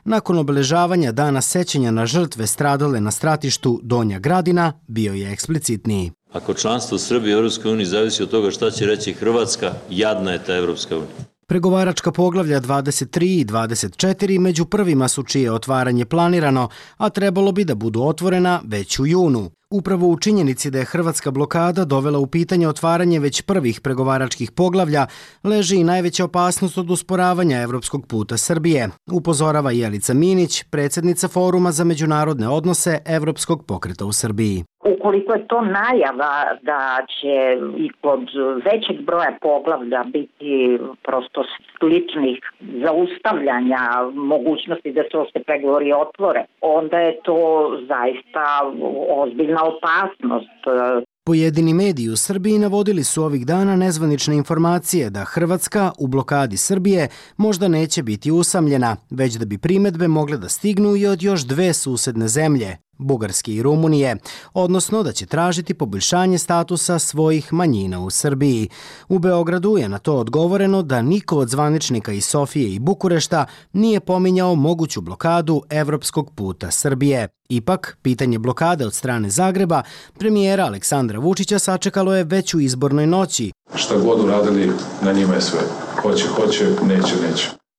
[SPEAKER 16] nakon obeležavanja Dana sećanja na žrtve stradale na stratištu Donja Gradina, bio je eksplicitniji.
[SPEAKER 8] Ako članstvo Srbije u EU zavisi od toga šta će reći Hrvatska, jadna je ta EU.
[SPEAKER 16] Pregovaračka poglavlja 23 i 24 među prvima su čije otvaranje planirano, a trebalo bi da budu otvorena već u junu. Upravo u činjenici da je hrvatska blokada dovela u pitanje otvaranje već prvih pregovaračkih poglavlja, leži i najveća opasnost od usporavanja evropskog puta Srbije, upozorava Jelica Minić, predsjednica Foruma za međunarodne odnose Evropskog pokreta u Srbiji.
[SPEAKER 17] Ukoliko je to najava da će i kod većeg broja poglavlja biti prosto sličnih zaustavljanja mogućnosti da se pregovori otvore, onda je to zaista ozbiljna opasnost.
[SPEAKER 16] Pojedini mediji u Srbiji navodili su ovih dana nezvanične informacije da Hrvatska u blokadi Srbije možda neće biti usamljena, već da bi primedbe mogle da stignu i od još 2 susedne zemlje, Bugarske i Rumunije, odnosno da će tražiti poboljšanje statusa svojih manjina u Srbiji. U Beogradu je na to odgovoreno da niko od zvaničnika iz Sofije i Bukurešta nije pominjao moguću blokadu evropskog puta Srbije. Ipak, pitanje blokade od strane Zagreba, premijera Aleksandra Vučića sačekalo je već u izbornoj noći.
[SPEAKER 18] Šta god uradili, na njima je sve. Hoće, neće.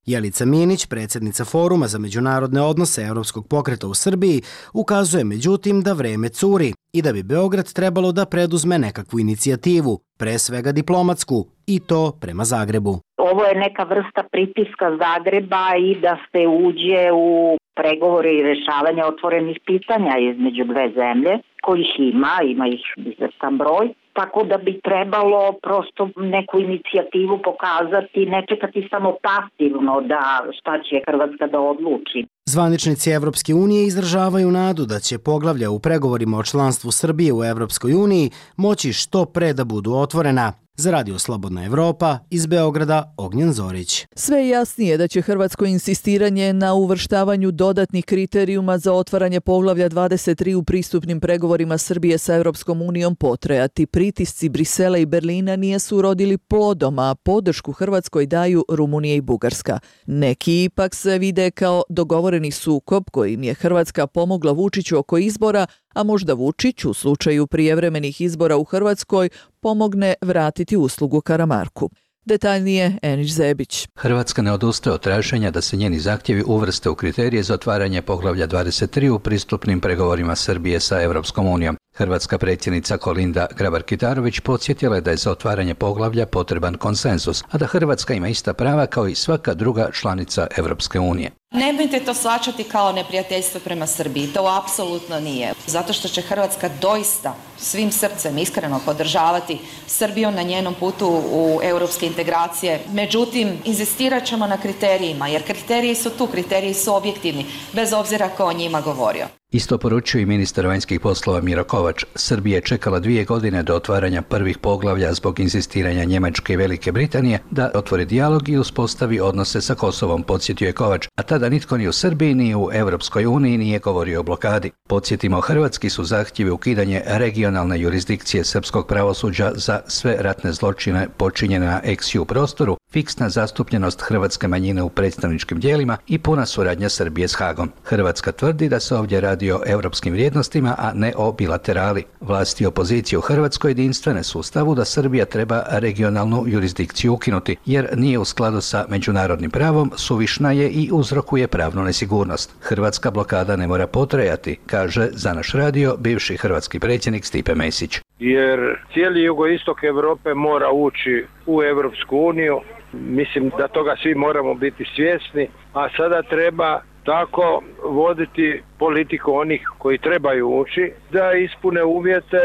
[SPEAKER 16] Jelica Minić, predsjednica Foruma za međunarodne odnose Evropskog pokreta u Srbiji, ukazuje međutim da vreme curi i da bi Beograd trebalo da preduzme nekakvu inicijativu, pre svega diplomatsku, i to prema Zagrebu.
[SPEAKER 17] Ovo je neka vrsta pritiska Zagreba i da se uđe u pregovore i rešavanje otvorenih pitanja između 2 zemlje, kojih ima ih izvestan broj. Tako da bi trebalo prosto neku inicijativu pokazati, ne čekati samo pasivno da šta će Hrvatska da odluči.
[SPEAKER 16] Zvaničnici Evropske unije izražavaju nadu da će poglavlja u pregovorima o članstvu Srbije u Evropskoj uniji moći što pre da budu otvorena. Za Radio Slobodna Evropa, iz Beograda, Ognjen Zorić.
[SPEAKER 9] Sve je jasnije da će hrvatsko insistiranje na uvrštavanju dodatnih kriterijuma za otvaranje poglavlja 23 u pristupnim pregovorima Srbije sa Europskom unijom potrajati. Pritisci Brisela i Berlina nisu urodili plodom, a podršku Hrvatskoj daju Rumunija i Bugarska. Neki ipak se vide kao dogovoreni sukob kojim je Hrvatska pomogla Vučiću oko izbora, a možda Vučić u slučaju prijevremenih izbora u Hrvatskoj pomogne vratiti uslugu Karamarku. Detaljnije Enić Zebić.
[SPEAKER 25] Hrvatska ne odustaje od traženja da se njeni zahtjevi uvrste u kriterije za otvaranje poglavlja 23 u pristupnim pregovorima Srbije sa Europskom unijom. Hrvatska predsjednica Kolinda Grabar-Kitarović podsjetila je da je za otvaranje poglavlja potreban konsenzus, a da Hrvatska ima ista prava kao i svaka druga članica Europske unije.
[SPEAKER 4] Nemojte to shvaćati kao neprijateljstvo prema Srbiji, to apsolutno nije. Zato što će Hrvatska doista svim srcem iskreno podržavati Srbiju na njenom putu u europske integracije. Međutim, inzistirat ćemo na kriterijima, jer kriteriji su tu, kriteriji su objektivni, bez obzira ko o njima govorio.
[SPEAKER 25] Isto poručuje i ministar vanjskih poslova Miro Kovač. Srbija je čekala 2 godine do otvaranja prvih poglavlja zbog inzistiranja Njemačke i Velike Britanije da otvori dijalog i uspostavi odnose sa Kosovom, podsjetio je Kovač, a tada nitko ni u Srbiji ni u Europskoj uniji nije govorio o blokadi. Podsjetimo, hrvatski su zahtjevi ukidanje regionalne jurisdikcije srpskog pravosuđa za sve ratne zločine počinjene na ex-ju prostoru, fiksna zastupljenost hrvatske manjine u predstavničkim tijelima i puna suradnja Srbije s Hagom. Hrvatska tvrdi da se ovdje radi o europskim vrijednostima, a ne o bilaterali. Vlasti i opozicije u Hrvatskoj jedinstvene su u stavu da Srbija treba regionalnu jurisdikciju ukinuti, jer nije u skladu sa međunarodnim pravom, suvišna je i uzrokuje pravnu nesigurnost. Hrvatska blokada ne mora potrajati, kaže za naš radio bivši hrvatski predsjednik Stipe Mesić.
[SPEAKER 5] Jer cijeli jugoistok Europe mora ući u Europsku uniju. Mislim da toga svi moramo biti svjesni, a sada treba tako voditi politiku onih koji trebaju ući, da ispune uvjete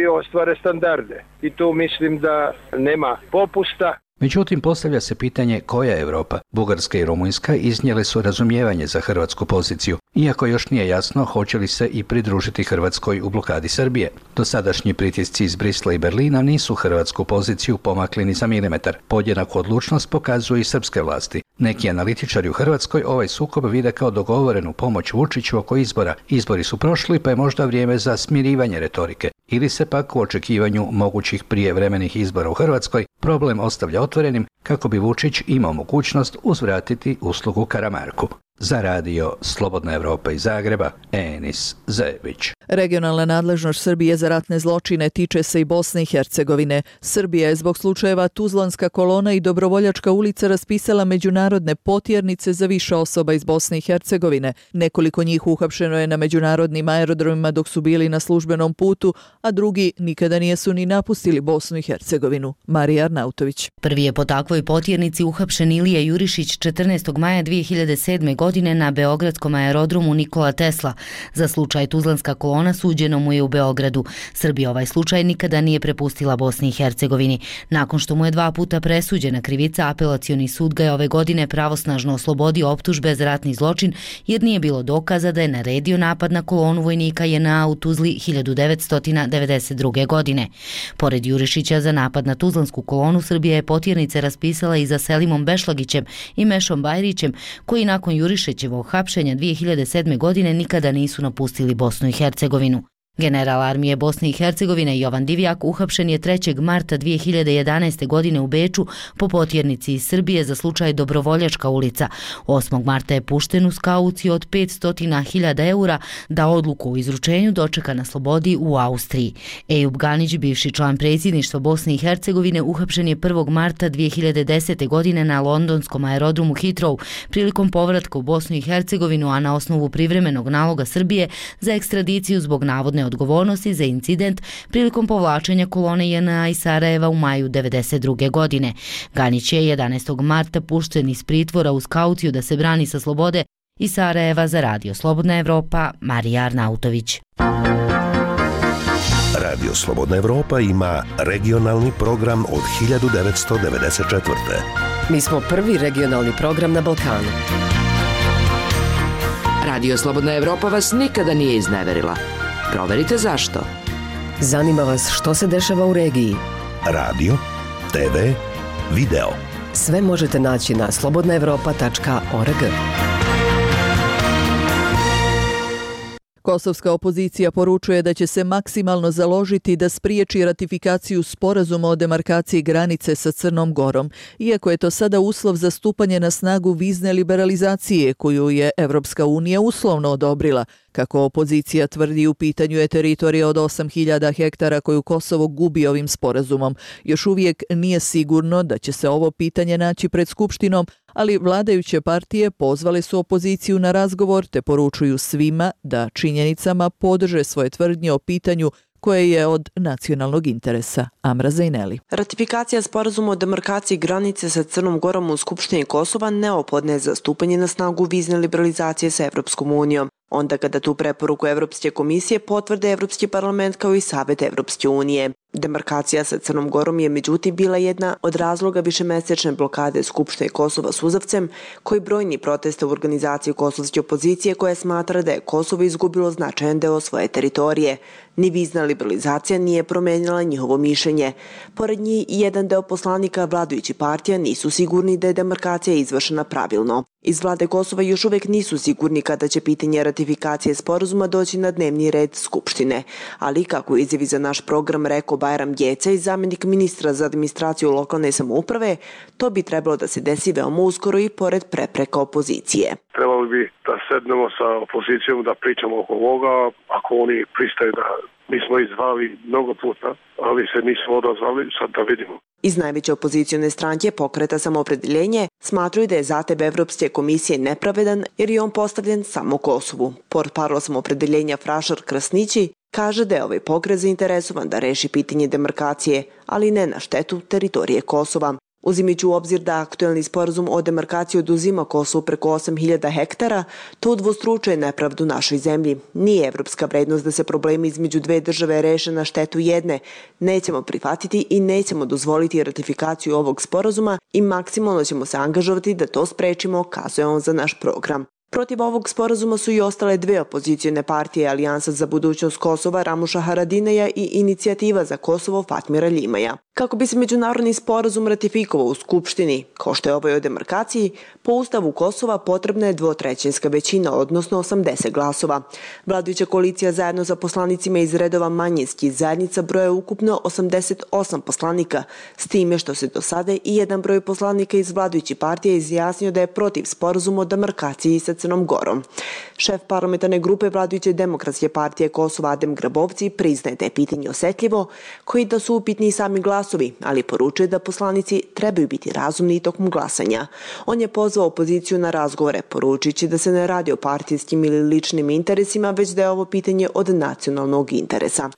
[SPEAKER 5] i ostvare standarde. I tu mislim da nema popusta.
[SPEAKER 25] Međutim, postavlja se pitanje koja je Europa. Bugarska i Rumunjska iznijele su razumijevanje za hrvatsku poziciju, iako još nije jasno hoće li se i pridružiti Hrvatskoj u blokadi Srbije. Dosadašnji pritisci iz Brisla i Berlina nisu hrvatsku poziciju pomakli ni za milimetar. Podjednaku odlučnost pokazuju i srpske vlasti. Neki analitičari u Hrvatskoj ovaj sukob vide kao dogovorenu pomoć Vučiću oko izbora. Izbori su prošli, pa je možda vrijeme za smirivanje retorike. Ili se pak u očekivanju mogućih prijevremenih izbora u Hrvatskoj problem ostavlja otvorenim kako bi Vučić imao mogućnost uzvratiti uslugu Karamarku. Za radio Slobodna Evropa iz Zagreba, Enis Zebić.
[SPEAKER 9] Regionalna nadležnost Srbije za ratne zločine tiče se i Bosne i Hercegovine. Srbija je zbog slučajeva Tuzlanska kolona i Dobrovoljačka ulica raspisala međunarodne potjernice za više osoba iz Bosne i Hercegovine. Nekoliko njih uhapšeno je na međunarodnim aerodromima dok su bili na službenom putu, a drugi nikada nisu ni napustili Bosnu i Hercegovinu. Marija Arnautović.
[SPEAKER 6] Prvi je po takvoj potjernici uhapšen Ilija Jurišić 14. maja 2007. godine na beogradskom aerodromu Nikola Tesla. Za slučaj Tuzlanska kolona suđeno mu je u Beogradu. Srbija ovaj slučaj nikada nije prepustila Bosni i Hercegovini. Nakon što mu je 2 puta presuđena krivica, apelacioni sud ga je ove godine pravosnažno oslobodio optužbe za ratni zločin, jer nije bilo dokaza da je naredio napad na kolonu vojnika JNA u Tuzli 1992. godine. Pored Jurišića za napad na Tuzlansku kolonu, Srbija je potjernice raspisala i za Selimom Bešlagićem i Mešom Bajrićem, koji nakon Jurišićevog hapšenja 2007. godine nikada nisu napustili Bosnu i Hercegovinu. General armije Bosne i Hercegovine Jovan Divjak uhapšen je 3. marta 2011. godine u Beču po potjernici iz Srbije za slučaj Dobrovoljačka ulica. 8. marta je pušten uz kauciju od 500.000 eura da odluku o izručenju dočeka na slobodi u Austriji. Ejub Ganić, bivši član predsjedništva Bosne i Hercegovine, uhapšen je 1. marta 2010. godine na londonskom aerodromu Heathrow prilikom povratka u Bosnu i Hercegovinu, a na osnovu privremenog naloga Srbije za ekstradiciju zbog navodne odgovornosti za incident prilikom povlačenja kolone JNA iz Sarajeva u maju 1992. godine. Ganić je 11. marta pušten iz pritvora uz kauciju da se brani sa slobode iz Sarajeva. Za radio Slobodna Evropa, Marija Arnautović.
[SPEAKER 10] Radio Slobodna Evropa ima regionalni program od 1994.
[SPEAKER 7] Mi smo prvi regionalni program na Balkanu.
[SPEAKER 3] Radio Slobodna Evropa vas nikada nije izneverila. Proverite zašto.
[SPEAKER 7] Zanima vas što se dešava u regiji.
[SPEAKER 10] Radio TV, video.
[SPEAKER 7] Sve možete naći na slobodnaevropa.org.
[SPEAKER 9] Kosovska opozicija poručuje da će se maksimalno založiti da spriječi ratifikaciju sporazuma o demarkaciji granice sa Crnom Gorom, iako je to sada uslov za stupanje na snagu vizne liberalizacije koju je Evropska unija uslovno odobrila. Kako opozicija tvrdi, u pitanju je teritorija od 8.000 hektara koju Kosovo gubi ovim sporazumom. Još uvijek nije sigurno da će se ovo pitanje naći pred Skupštinom, ali vladajuće partije pozvale su opoziciju na razgovor te poručuju svima da činjenicama podrže svoje tvrdnje o pitanju koje je od nacionalnog interesa. Amra Zajneli.
[SPEAKER 19] Ratifikacija sporazuma o demarkaciji granice sa Crnom Gorom u Skupštini Kosova neophodna je za stupanje na snagu vizne liberalizacije sa Evropskom unijom. Onda kada tu preporuku Evropske komisije potvrde Evropski parlament kao i Savet Evropske unije. Demarkacija sa Crnom Gorom je međutim bila jedna od razloga višemesečne blokade Skupštine Kosova suzavcem, koji brojni proteste u organizaciji kosovske opozicije koja smatra da je Kosovo izgubilo značajan deo svoje teritorije. Ni vizna liberalizacija nije promenila njihovo mišljenje. Pored njih, jedan deo poslanika vladajućih partija nisu sigurni da je demarkacija izvršena pravilno. Iz vlade Kosova još uvijek nisu sigurni kada će pitanje ratifikacije sporazuma doći na dnevni red Skupštine. Ali, kako izjavi za naš program rekao Bajram Gjecej, zamjenik ministra za administraciju lokalne samouprave, to bi trebalo da se desi veoma uskoro i pored prepreka opozicije.
[SPEAKER 5] Trebali bi da sednemo sa opozicijom, da pričamo oko ovoga, ako oni pristaju da mi smo izvali mnogo puta, ali se nismo odazvali, sad da vidimo.
[SPEAKER 19] Iz najveće opozicione stranke Pokreta Samoopredeljenje smatruju da je zahtjev Evropske komisije nepravedan jer je on postavljen samo Kosovu. Portparol Samoopredeljenja Frašar Krasnići kaže da je ovaj pokret zainteresovan da reši pitanje demarkacije, ali ne na štetu teritorije Kosova. Uzimajući u obzir da aktuelni sporazum o demarkaciji oduzima Kosovu preko 8.000 hektara, to udvostručuje nepravdu našoj zemlji. Nije evropska vrednost da se problemi između dve države reše na štetu jedne. Nećemo prihvatiti i nećemo dozvoliti ratifikaciju ovog sporazuma i maksimalno ćemo se angažovati da to sprečimo, kazuje on za naš program. Protiv ovog sporazuma su i ostale dve opozicijone partije, Alijansa za budućnost Kosova Ramuša Haradineja i Inicijativa za Kosovo Fatmira Ljimaja. Kako bi se međunarodni sporazum ratifikovao u Skupštini, kao što je ovaj o demarkaciji, po Ustavu Kosova potrebna je 2/3 većina, odnosno 80 glasova. Vladajuća koalicija zajedno sa poslanicima iz redova manjinskih zajednica broje ukupno 88 poslanika, s time što se do sada i jedan broj poslanika iz vladajućih partija izjasnio da je protiv sporazuma o demarkaciji sa Crnom Gorom. Šef parlamentarne grupe vladajuće Demokratske partije Kosova Adem Grabovci priznaje da je pitanje osjetljivo, koji da su upitni sami glasovi, ali poručuje da poslanici trebaju biti razumni tokom glasanja. On je pozvao opoziciju na razgovore, poručujući da se ne radi o partijskim ili ličnim interesima, već da je ovo pitanje od nacionalnog interesa.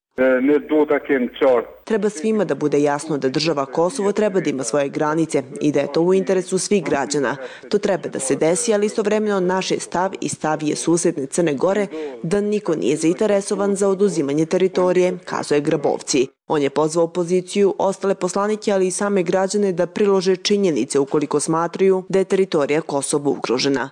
[SPEAKER 19] Treba svima da bude jasno da država Kosovo treba da ima svoje granice i da je to u interesu svih građana. To treba da se desi, ali istovremeno naš je stav i stav je susedne Crne Gore da niko nije zainteresovan za oduzimanje teritorije, kazuje Grabovci. On je pozvao opoziciju, ostale poslanike, ali i same građane da prilože činjenice ukoliko smatraju da je teritorija Kosovo ugrožena.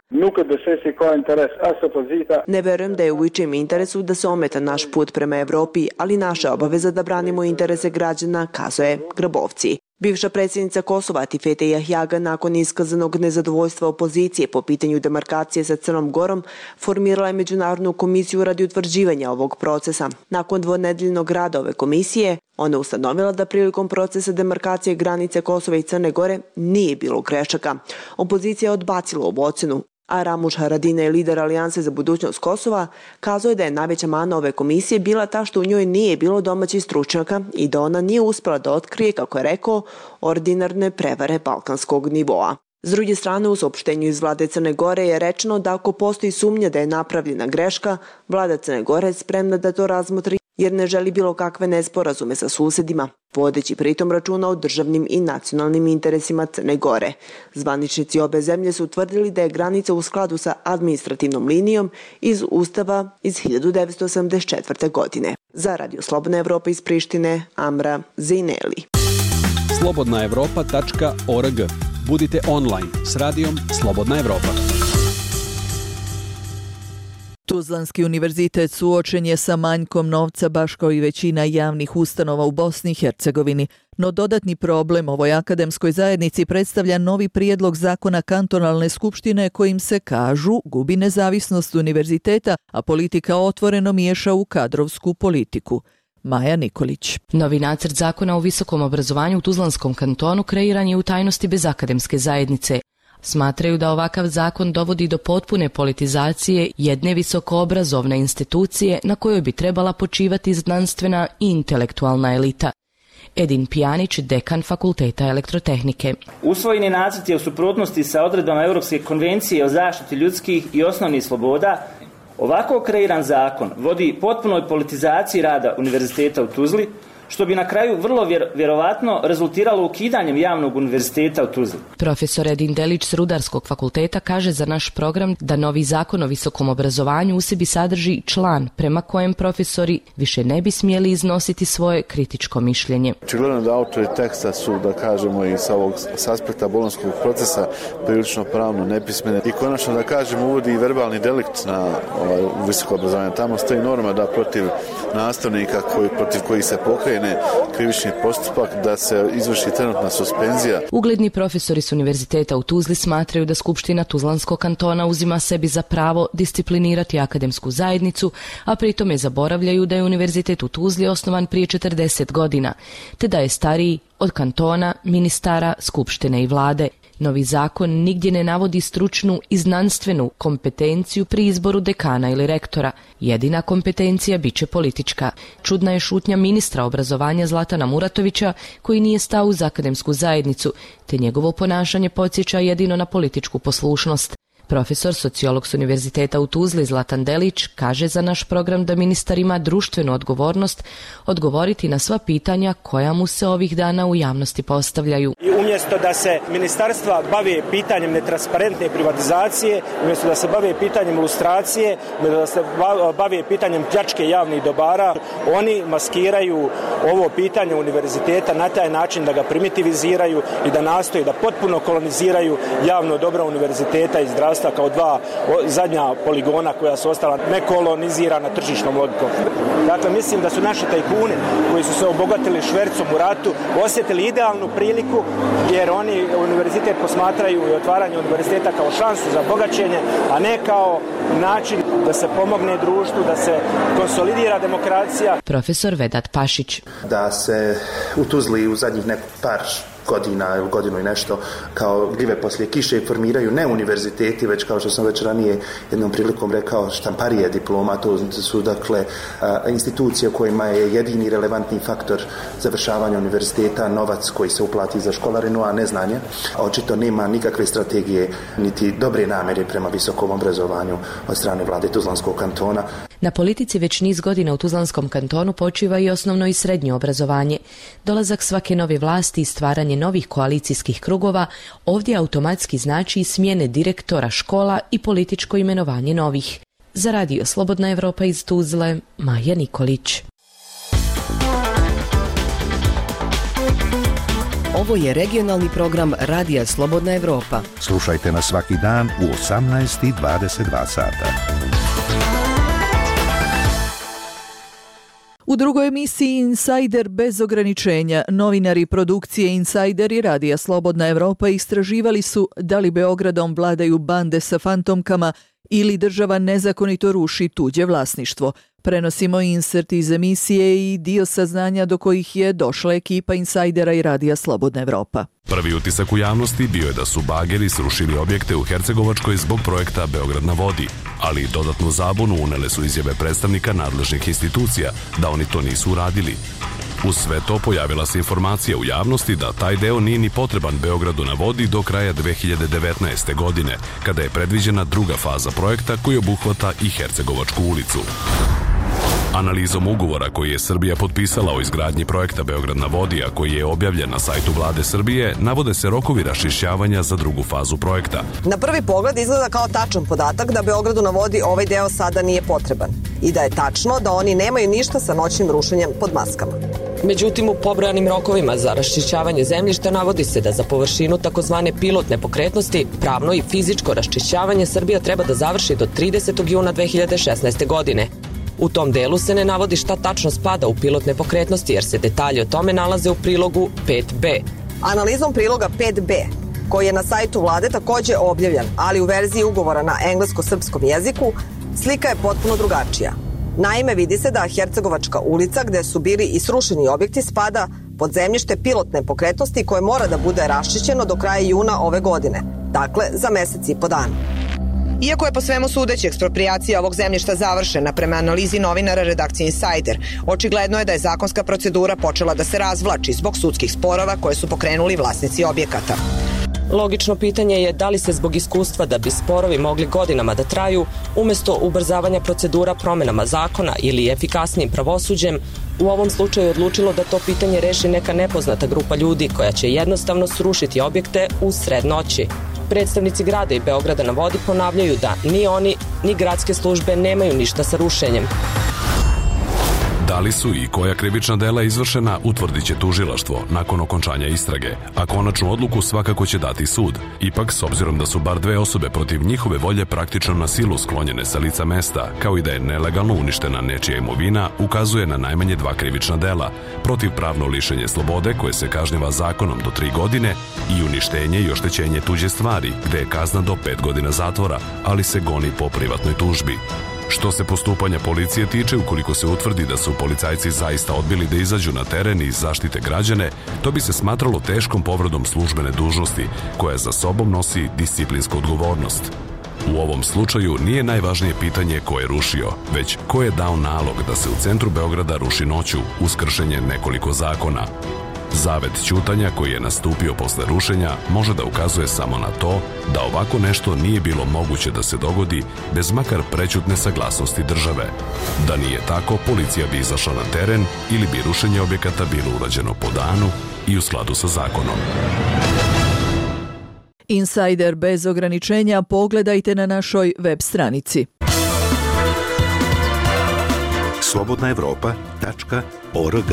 [SPEAKER 19] Ne verujem da je u ičijem interesu da se ometa naš put prema Evropi, ali naša obaveza da branimo interese građana, kazuje Grabovci. Bivša predsjednica Kosova Tifete Jahjaga nakon iskazanog nezadovoljstva opozicije po pitanju demarkacije sa Crnom Gorom formirala je međunarodnu komisiju radi utvrđivanja ovog procesa. Nakon dvonedeljnog rada ove komisije, ona ustanovila da prilikom procesa demarkacije granice Kosova i Crne Gore nije bilo grešaka. Opozicija je odbacila ovu ocenu, a Ramuš Haradinaj, lider Alijanse za budućnost Kosova, kazao je da je najveća mana ove komisije bila ta što u njoj nije bilo domaćih stručnjaka i da ona nije uspjela da otkrije, kako je rekao, ordinarne prevare balkanskog nivoa. S druge strane, u saopštenju iz vlade Crne Gore je rečeno da ako postoji sumnja da je napravljena greška, vlada Crne Gore je spremna da to razmotri jer ne želi bilo kakve nesporazume sa susedima, vodeći pritom računa o državnim i nacionalnim interesima Crne Gore. Zvaničnici obe zemlje su utvrdili da je granica u skladu sa administrativnom linijom iz Ustava iz 1984. godine. Za Radio Slobodna Evropa iz Prištine, Amra Zajneli.
[SPEAKER 20] slobodnaevropa.org. Budite online s radijom Slobodna Evropa.
[SPEAKER 9] Tuzlanski univerzitet suočen je sa manjkom novca baš kao i većina javnih ustanova u Bosni i Hercegovini, no dodatni problem ovoj akademskoj zajednici predstavlja novi prijedlog zakona kantonalne skupštine kojim se, kažu, gubi nezavisnost univerziteta, a politika otvoreno miješa u kadrovsku politiku. Maja Nikolić.
[SPEAKER 11] Novi nacrt zakona o visokom obrazovanju u Tuzlanskom kantonu kreiran je u tajnosti bez akademske zajednice. Smatraju da ovakav zakon dovodi do potpune politizacije jedne visokoobrazovne institucije na kojoj bi trebala počivati znanstvena i intelektualna elita. Edin Pjanić, dekan Fakulteta elektrotehnike.
[SPEAKER 20] Usvojeni nacrt je u suprotnosti sa odredbama Europske konvencije o zaštiti ljudskih i osnovnih sloboda. Ovako kreiran zakon vodi potpunoj politizaciji rada univerziteta u Tuzli, što bi na kraju vrlo vjerovatno rezultiralo ukidanjem javnog univerziteta u Tuzli.
[SPEAKER 11] Profesor Edin Delić s Rudarskog fakulteta kaže za naš program da novi zakon o visokom obrazovanju u sebi sadrži član prema kojem profesori više ne bi smjeli iznositi svoje kritičko mišljenje.
[SPEAKER 21] Očigledno da autori teksta su, da kažemo, i s aspekta bolonjskog procesa prilično pravno nepismene i konačno, da kažemo, uvodi i verbalni delikt na visoko obrazovanje. Tamo stoji norma da protiv nastavnika protiv kojih se pokrene krivični postupak, da se izvrši trenutna suspenzija.
[SPEAKER 11] Ugledni profesori s univerziteta u Tuzli smatraju da Skupština Tuzlanskog kantona uzima sebi za pravo disciplinirati akademsku zajednicu, a pritome zaboravljaju da je univerzitet u Tuzli osnovan prije 40 godina, te da je stariji od kantona, ministara, skupštine i vlade. Novi zakon nigdje ne navodi stručnu i znanstvenu kompetenciju pri izboru dekana ili rektora. Jedina kompetencija bit će politička. Čudna je šutnja ministra obrazovanja Zlatana Muratovića, koji nije stao uz akademsku zajednicu, te njegovo ponašanje podsjeća jedino na političku poslušnost. Profesor, sociolog s univerziteta u Tuzli Zlatan Delić kaže za naš program da ministar ima društvenu odgovornost odgovoriti na sva pitanja koja mu se ovih dana u javnosti postavljaju.
[SPEAKER 22] I umjesto da se ministarstva bave pitanjem netransparentne privatizacije, umjesto da se bave pitanjem lustracije, umjesto da se bave pitanjem pljačke javnih dobara, oni maskiraju ovo pitanje univerziteta na taj način da ga primitiviziraju i da nastoje da potpuno koloniziraju javno dobro univerziteta i zdravstva kao dva zadnja poligona koja su ostala nekolonizirana tržišnom logikom. Dakle, mislim da su naši tajkuni koji su se obogatili švercom u ratu osjetili idealnu priliku, jer oni univerzitet posmatraju i otvaranje univerziteta kao šansu za bogaćenje, a ne kao način da se pomogne društvu, da se konsolidira demokracija.
[SPEAKER 11] Profesor Vedat Pašić.
[SPEAKER 23] Da se u Tuzli u zadnjih par godina ili godinu i nešto kao gljive poslije kiše formiraju ne univerziteti, već kao što sam već ranije jednom prilikom rekao štamparije diploma, to su dakle institucije u kojima je jedini relevantni faktor završavanja univerziteta novac koji se uplati za školarinu, a ne znanje. Očito nema nikakve strategije niti dobre namjere prema visokom obrazovanju od strane vlade Tuzlanskog kantona.
[SPEAKER 11] Na politici već niz godina u Tuzlanskom kantonu počiva i osnovno i srednje obrazovanje. Dolazak svake nove vlasti i stvaranje novih koalicijskih krugova ovdje automatski znači i smjene direktora škola i političko imenovanje novih. Za Radio Slobodna Evropa iz Tuzle, Maja Nikolić.
[SPEAKER 7] Ovo je regionalni program Radija Slobodna Evropa.
[SPEAKER 10] Slušajte nas svaki dan u 18:22 sata.
[SPEAKER 9] U drugoj emisiji Insider bez ograničenja, novinari produkcije Insider i Radija Slobodna Evropa istraživali su da li Beogradom vladaju bande sa fantomkama ili država nezakonito ruši tuđe vlasništvo. Prenosimo insert iz emisije i dio saznanja do kojih je došla ekipa Insajdera i Radija Slobodna Evropa.
[SPEAKER 24] Prvi utisak u javnosti bio je da su bageri srušili objekte u Hercegovačkoj zbog projekta Beograd na vodi, ali dodatnu zabunu unele su izjave predstavnika nadležnih institucija da oni to nisu uradili. Uz sve to pojavila se informacija u javnosti da taj deo nije ni potreban Beogradu na vodi do kraja 2019. godine, kada je predviđena druga faza projekta koji obuhvata i Hercegovačku ulicu. Analizom ugovora koji je Srbija potpisala o izgradnji projekta Beograd na vodi, a koji je objavljen na sajtu Vlade Srbije, navode se rokovi raščišćavanja za drugu fazu projekta.
[SPEAKER 26] Na prvi pogled izgleda kao tačan podatak da Beogradu na vodi ovaj deo sada nije potreban i da je tačno da oni nemaju ništa sa noćnim rušenjem pod maskama.
[SPEAKER 1] Međutim, u pobrojanim rokovima za raščišćavanje zemljišta navodi se da za površinu takozvane pilotne pokretnosti pravno i fizičko raščišćavanje Srbija treba da završi do 30. juna 2016. godine. U tom delu se ne navodi šta tačno spada u pilotne pokretnosti, jer se detalji o tome nalaze u prilogu 5b.
[SPEAKER 26] Analizom priloga 5b, koji je na sajtu vlade takođe objavljen, ali u verziji ugovora na englesko-srpskom jeziku, slika je potpuno drugačija. Naime, vidi se da Hercegovačka ulica, gde su bili i srušeni objekti, spada pod zemljište pilotne pokretnosti koje mora da bude raščišćeno do kraja juna ove godine, dakle za mesec i po dana. Iako je po svemu sudeći eksproprijacija ovog zemljišta završena prema analizi novinara redakcije Insider, očigledno je da je zakonska procedura počela da se razvlači zbog sudskih sporova koje su pokrenuli vlasnici objekata.
[SPEAKER 1] Logično pitanje je da li se zbog iskustva da bi sporovi mogli godinama da traju, umesto ubrzavanja procedura promenama zakona ili efikasnijim pravosuđem, u ovom slučaju odlučilo da to pitanje reši neka nepoznata grupa ljudi koja će jednostavno srušiti objekte u sred noći. Predstavnici grada i Beograda na vodi ponavljaju da ni oni, ni gradske službe nemaju ništa sa rušenjem.
[SPEAKER 24] Da li su i koja krivična dela izvršena, utvrdit će tužilaštvo nakon okončanja istrage, a konačnu odluku svakako će dati sud. Ipak, s obzirom da su bar 2 osobe protiv njihove volje praktično na silu sklonjene sa lica mesta, kao i da je nelegalno uništena nečija imovina, ukazuje na najmanje 2 krivična dela, protivpravno lišenje slobode koje se kažnjava zakonom do 3 godine i uništenje i oštećenje tuđe stvari, gde je kazna do 5 godina zatvora, ali se goni po privatnoj tužbi. Što se postupanja policije tiče, ukoliko se utvrdi da su policajci zaista odbili da izađu na teren i zaštite građane, to bi se smatralo teškom povredom službene dužnosti, koja za sobom nosi disciplinsku odgovornost. U ovom slučaju nije najvažnije pitanje ko je rušio, već ko je dao nalog da se u centru Beograda ruši noću uz kršenje nekoliko zakona. Zavet ćutanja koji je nastupio posle rušenja može da ukazuje samo na to da ovako nešto nije bilo moguće da se dogodi bez makar prećutne saglasnosti države. Da nije tako, policija bi izašla na teren ili bi rušenje objekata bilo urađeno po danu i u skladu sa zakonom.
[SPEAKER 9] Insider bez ograničenja pogledajte na našoj web stranici.
[SPEAKER 10] slobodnaevropa.org.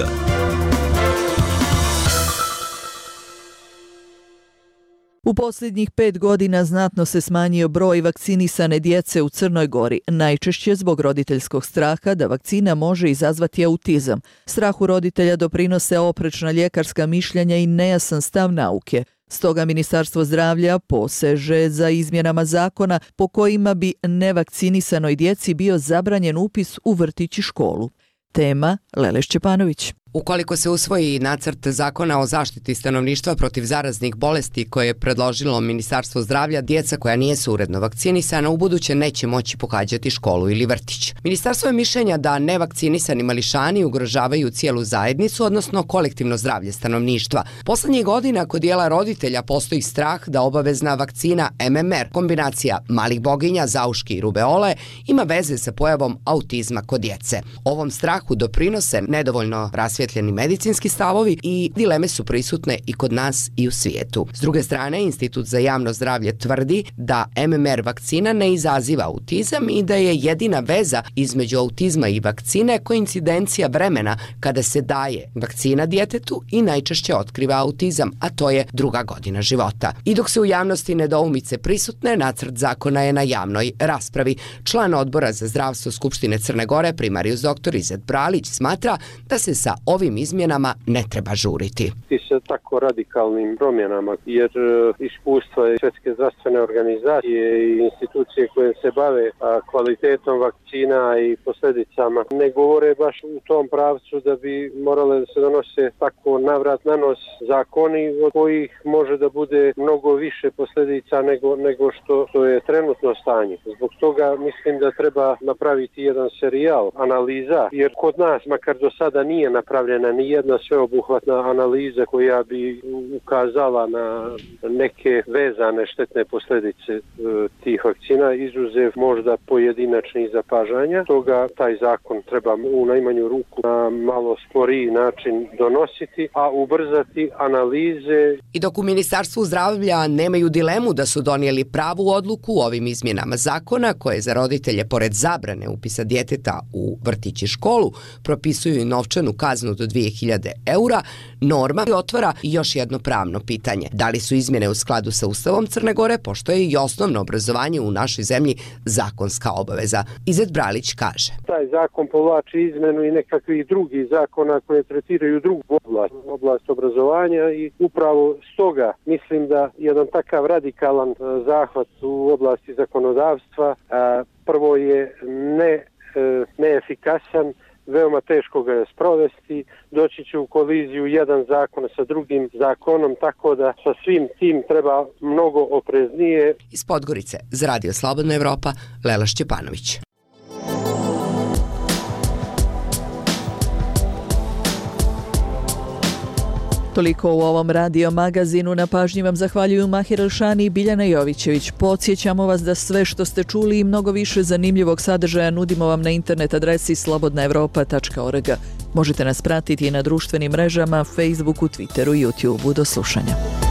[SPEAKER 9] U posljednjih 5 godina znatno se smanjio broj vakcinisane djece u Crnoj Gori, najčešće zbog roditeljskog straha da vakcina može izazvati autizam. Strahu roditelja doprinose oprečna ljekarska mišljenja i nejasan stav nauke. Stoga Ministarstvo zdravlja poseže za izmjenama zakona po kojima bi nevakcinisanoj djeci bio zabranjen upis u vrtić i školu. Tema Lele Šćepanović.
[SPEAKER 2] Ukoliko se usvoji nacrt zakona o zaštiti stanovništva protiv zaraznih bolesti koje je predložilo Ministarstvo zdravlja, djeca koja nisu uredno vakcinisana ubuduće neće moći pohađati školu ili vrtić. Ministarstvo je mišljenja da nevakcinisani mališani ugrožavaju cijelu zajednicu, odnosno kolektivno zdravlje stanovništva. Poslednjih godina kod dijela roditelja postoji strah da obavezna vakcina MMR, kombinacija malih boginja, zauški i rubeole, ima veze sa pojavom autizma kod djece. Ovom strahu doprinose nedovoljno rasvjetljeni medicinski stavovi i dileme su prisutne i kod nas i u svijetu. S druge strane, Institut za javno zdravlje tvrdi da MMR vakcina ne izaziva autizam i da je jedina veza između autizma i vakcine koincidencija vremena kada se daje vakcina djetetu i najčešće otkriva autizam, a to je 2. godina života. I dok se u javnosti nedoumice prisutne, nacrt zakona je na javnoj raspravi. Član odbora za zdravstvo Skupštine Crne Gore, primarius dr. Izet Bralić, smatra da se sa ovim izmjenama ne treba žuriti.
[SPEAKER 5] I sa tako radikalnim promjenama, jer iskustva Svjetske zdravstvene organizacije i institucije koje se bave kvalitetom vakcina i posljedicama ne govore baš u tom pravcu da bi morale da se donose tako navrat na nos zakoni od kojih može da bude mnogo više posljedica nego što je trenutno stanje. Zbog toga mislim da treba napraviti jedan serijal analiza, jer kod nas, makar do sada nije napravljena ni jedna sveobuhvatna analiza koja bi ukazala na neke vezane štetne posljedice tih vakcina, izuzev možda pojedinačnih zapažanja. Toga taj zakon treba u najmanju ruku na malo sporiji način donositi, a ubrzati analize.
[SPEAKER 2] I dok u Ministarstvu zdravlja nemaju dilemu da su donijeli pravu odluku u ovim izmjenama zakona, koje za roditelje pored zabrane upisa djeteta u vrtić i školu propisuju i novčanu kaznu kaznu do 2000 eura, norma otvara još jedno pravno pitanje. Da li su izmjene u skladu sa Ustavom Crne Gore, pošto je i osnovno obrazovanje u našoj zemlji zakonska obaveza. Izet Bralić kaže.
[SPEAKER 8] Taj zakon povlači izmenu i nekakvih drugih zakona koje tretiraju drugu oblast obrazovanja i upravo stoga mislim da jedan takav radikalan zahvat u oblasti zakonodavstva prvo je neefikasan, veoma teško ga je sprovesti, doći će u koliziju jedan zakon sa drugim zakonom, tako da sa svim tim treba mnogo opreznije.
[SPEAKER 2] Iz Podgorice, za Radio Slobodna Evropa, Lela Šćepanović.
[SPEAKER 9] Toliko u ovom radio magazinu. Na pažnji vam zahvaljuju Mahir Elšani i Biljana Jovićević. Podsjećamo vas da sve što ste čuli i mnogo više zanimljivog sadržaja nudimo vam na internet adresi slobodnaevropa.org. Možete nas pratiti i na društvenim mrežama, Facebooku, Twitteru i YouTubeu. Do slušanja.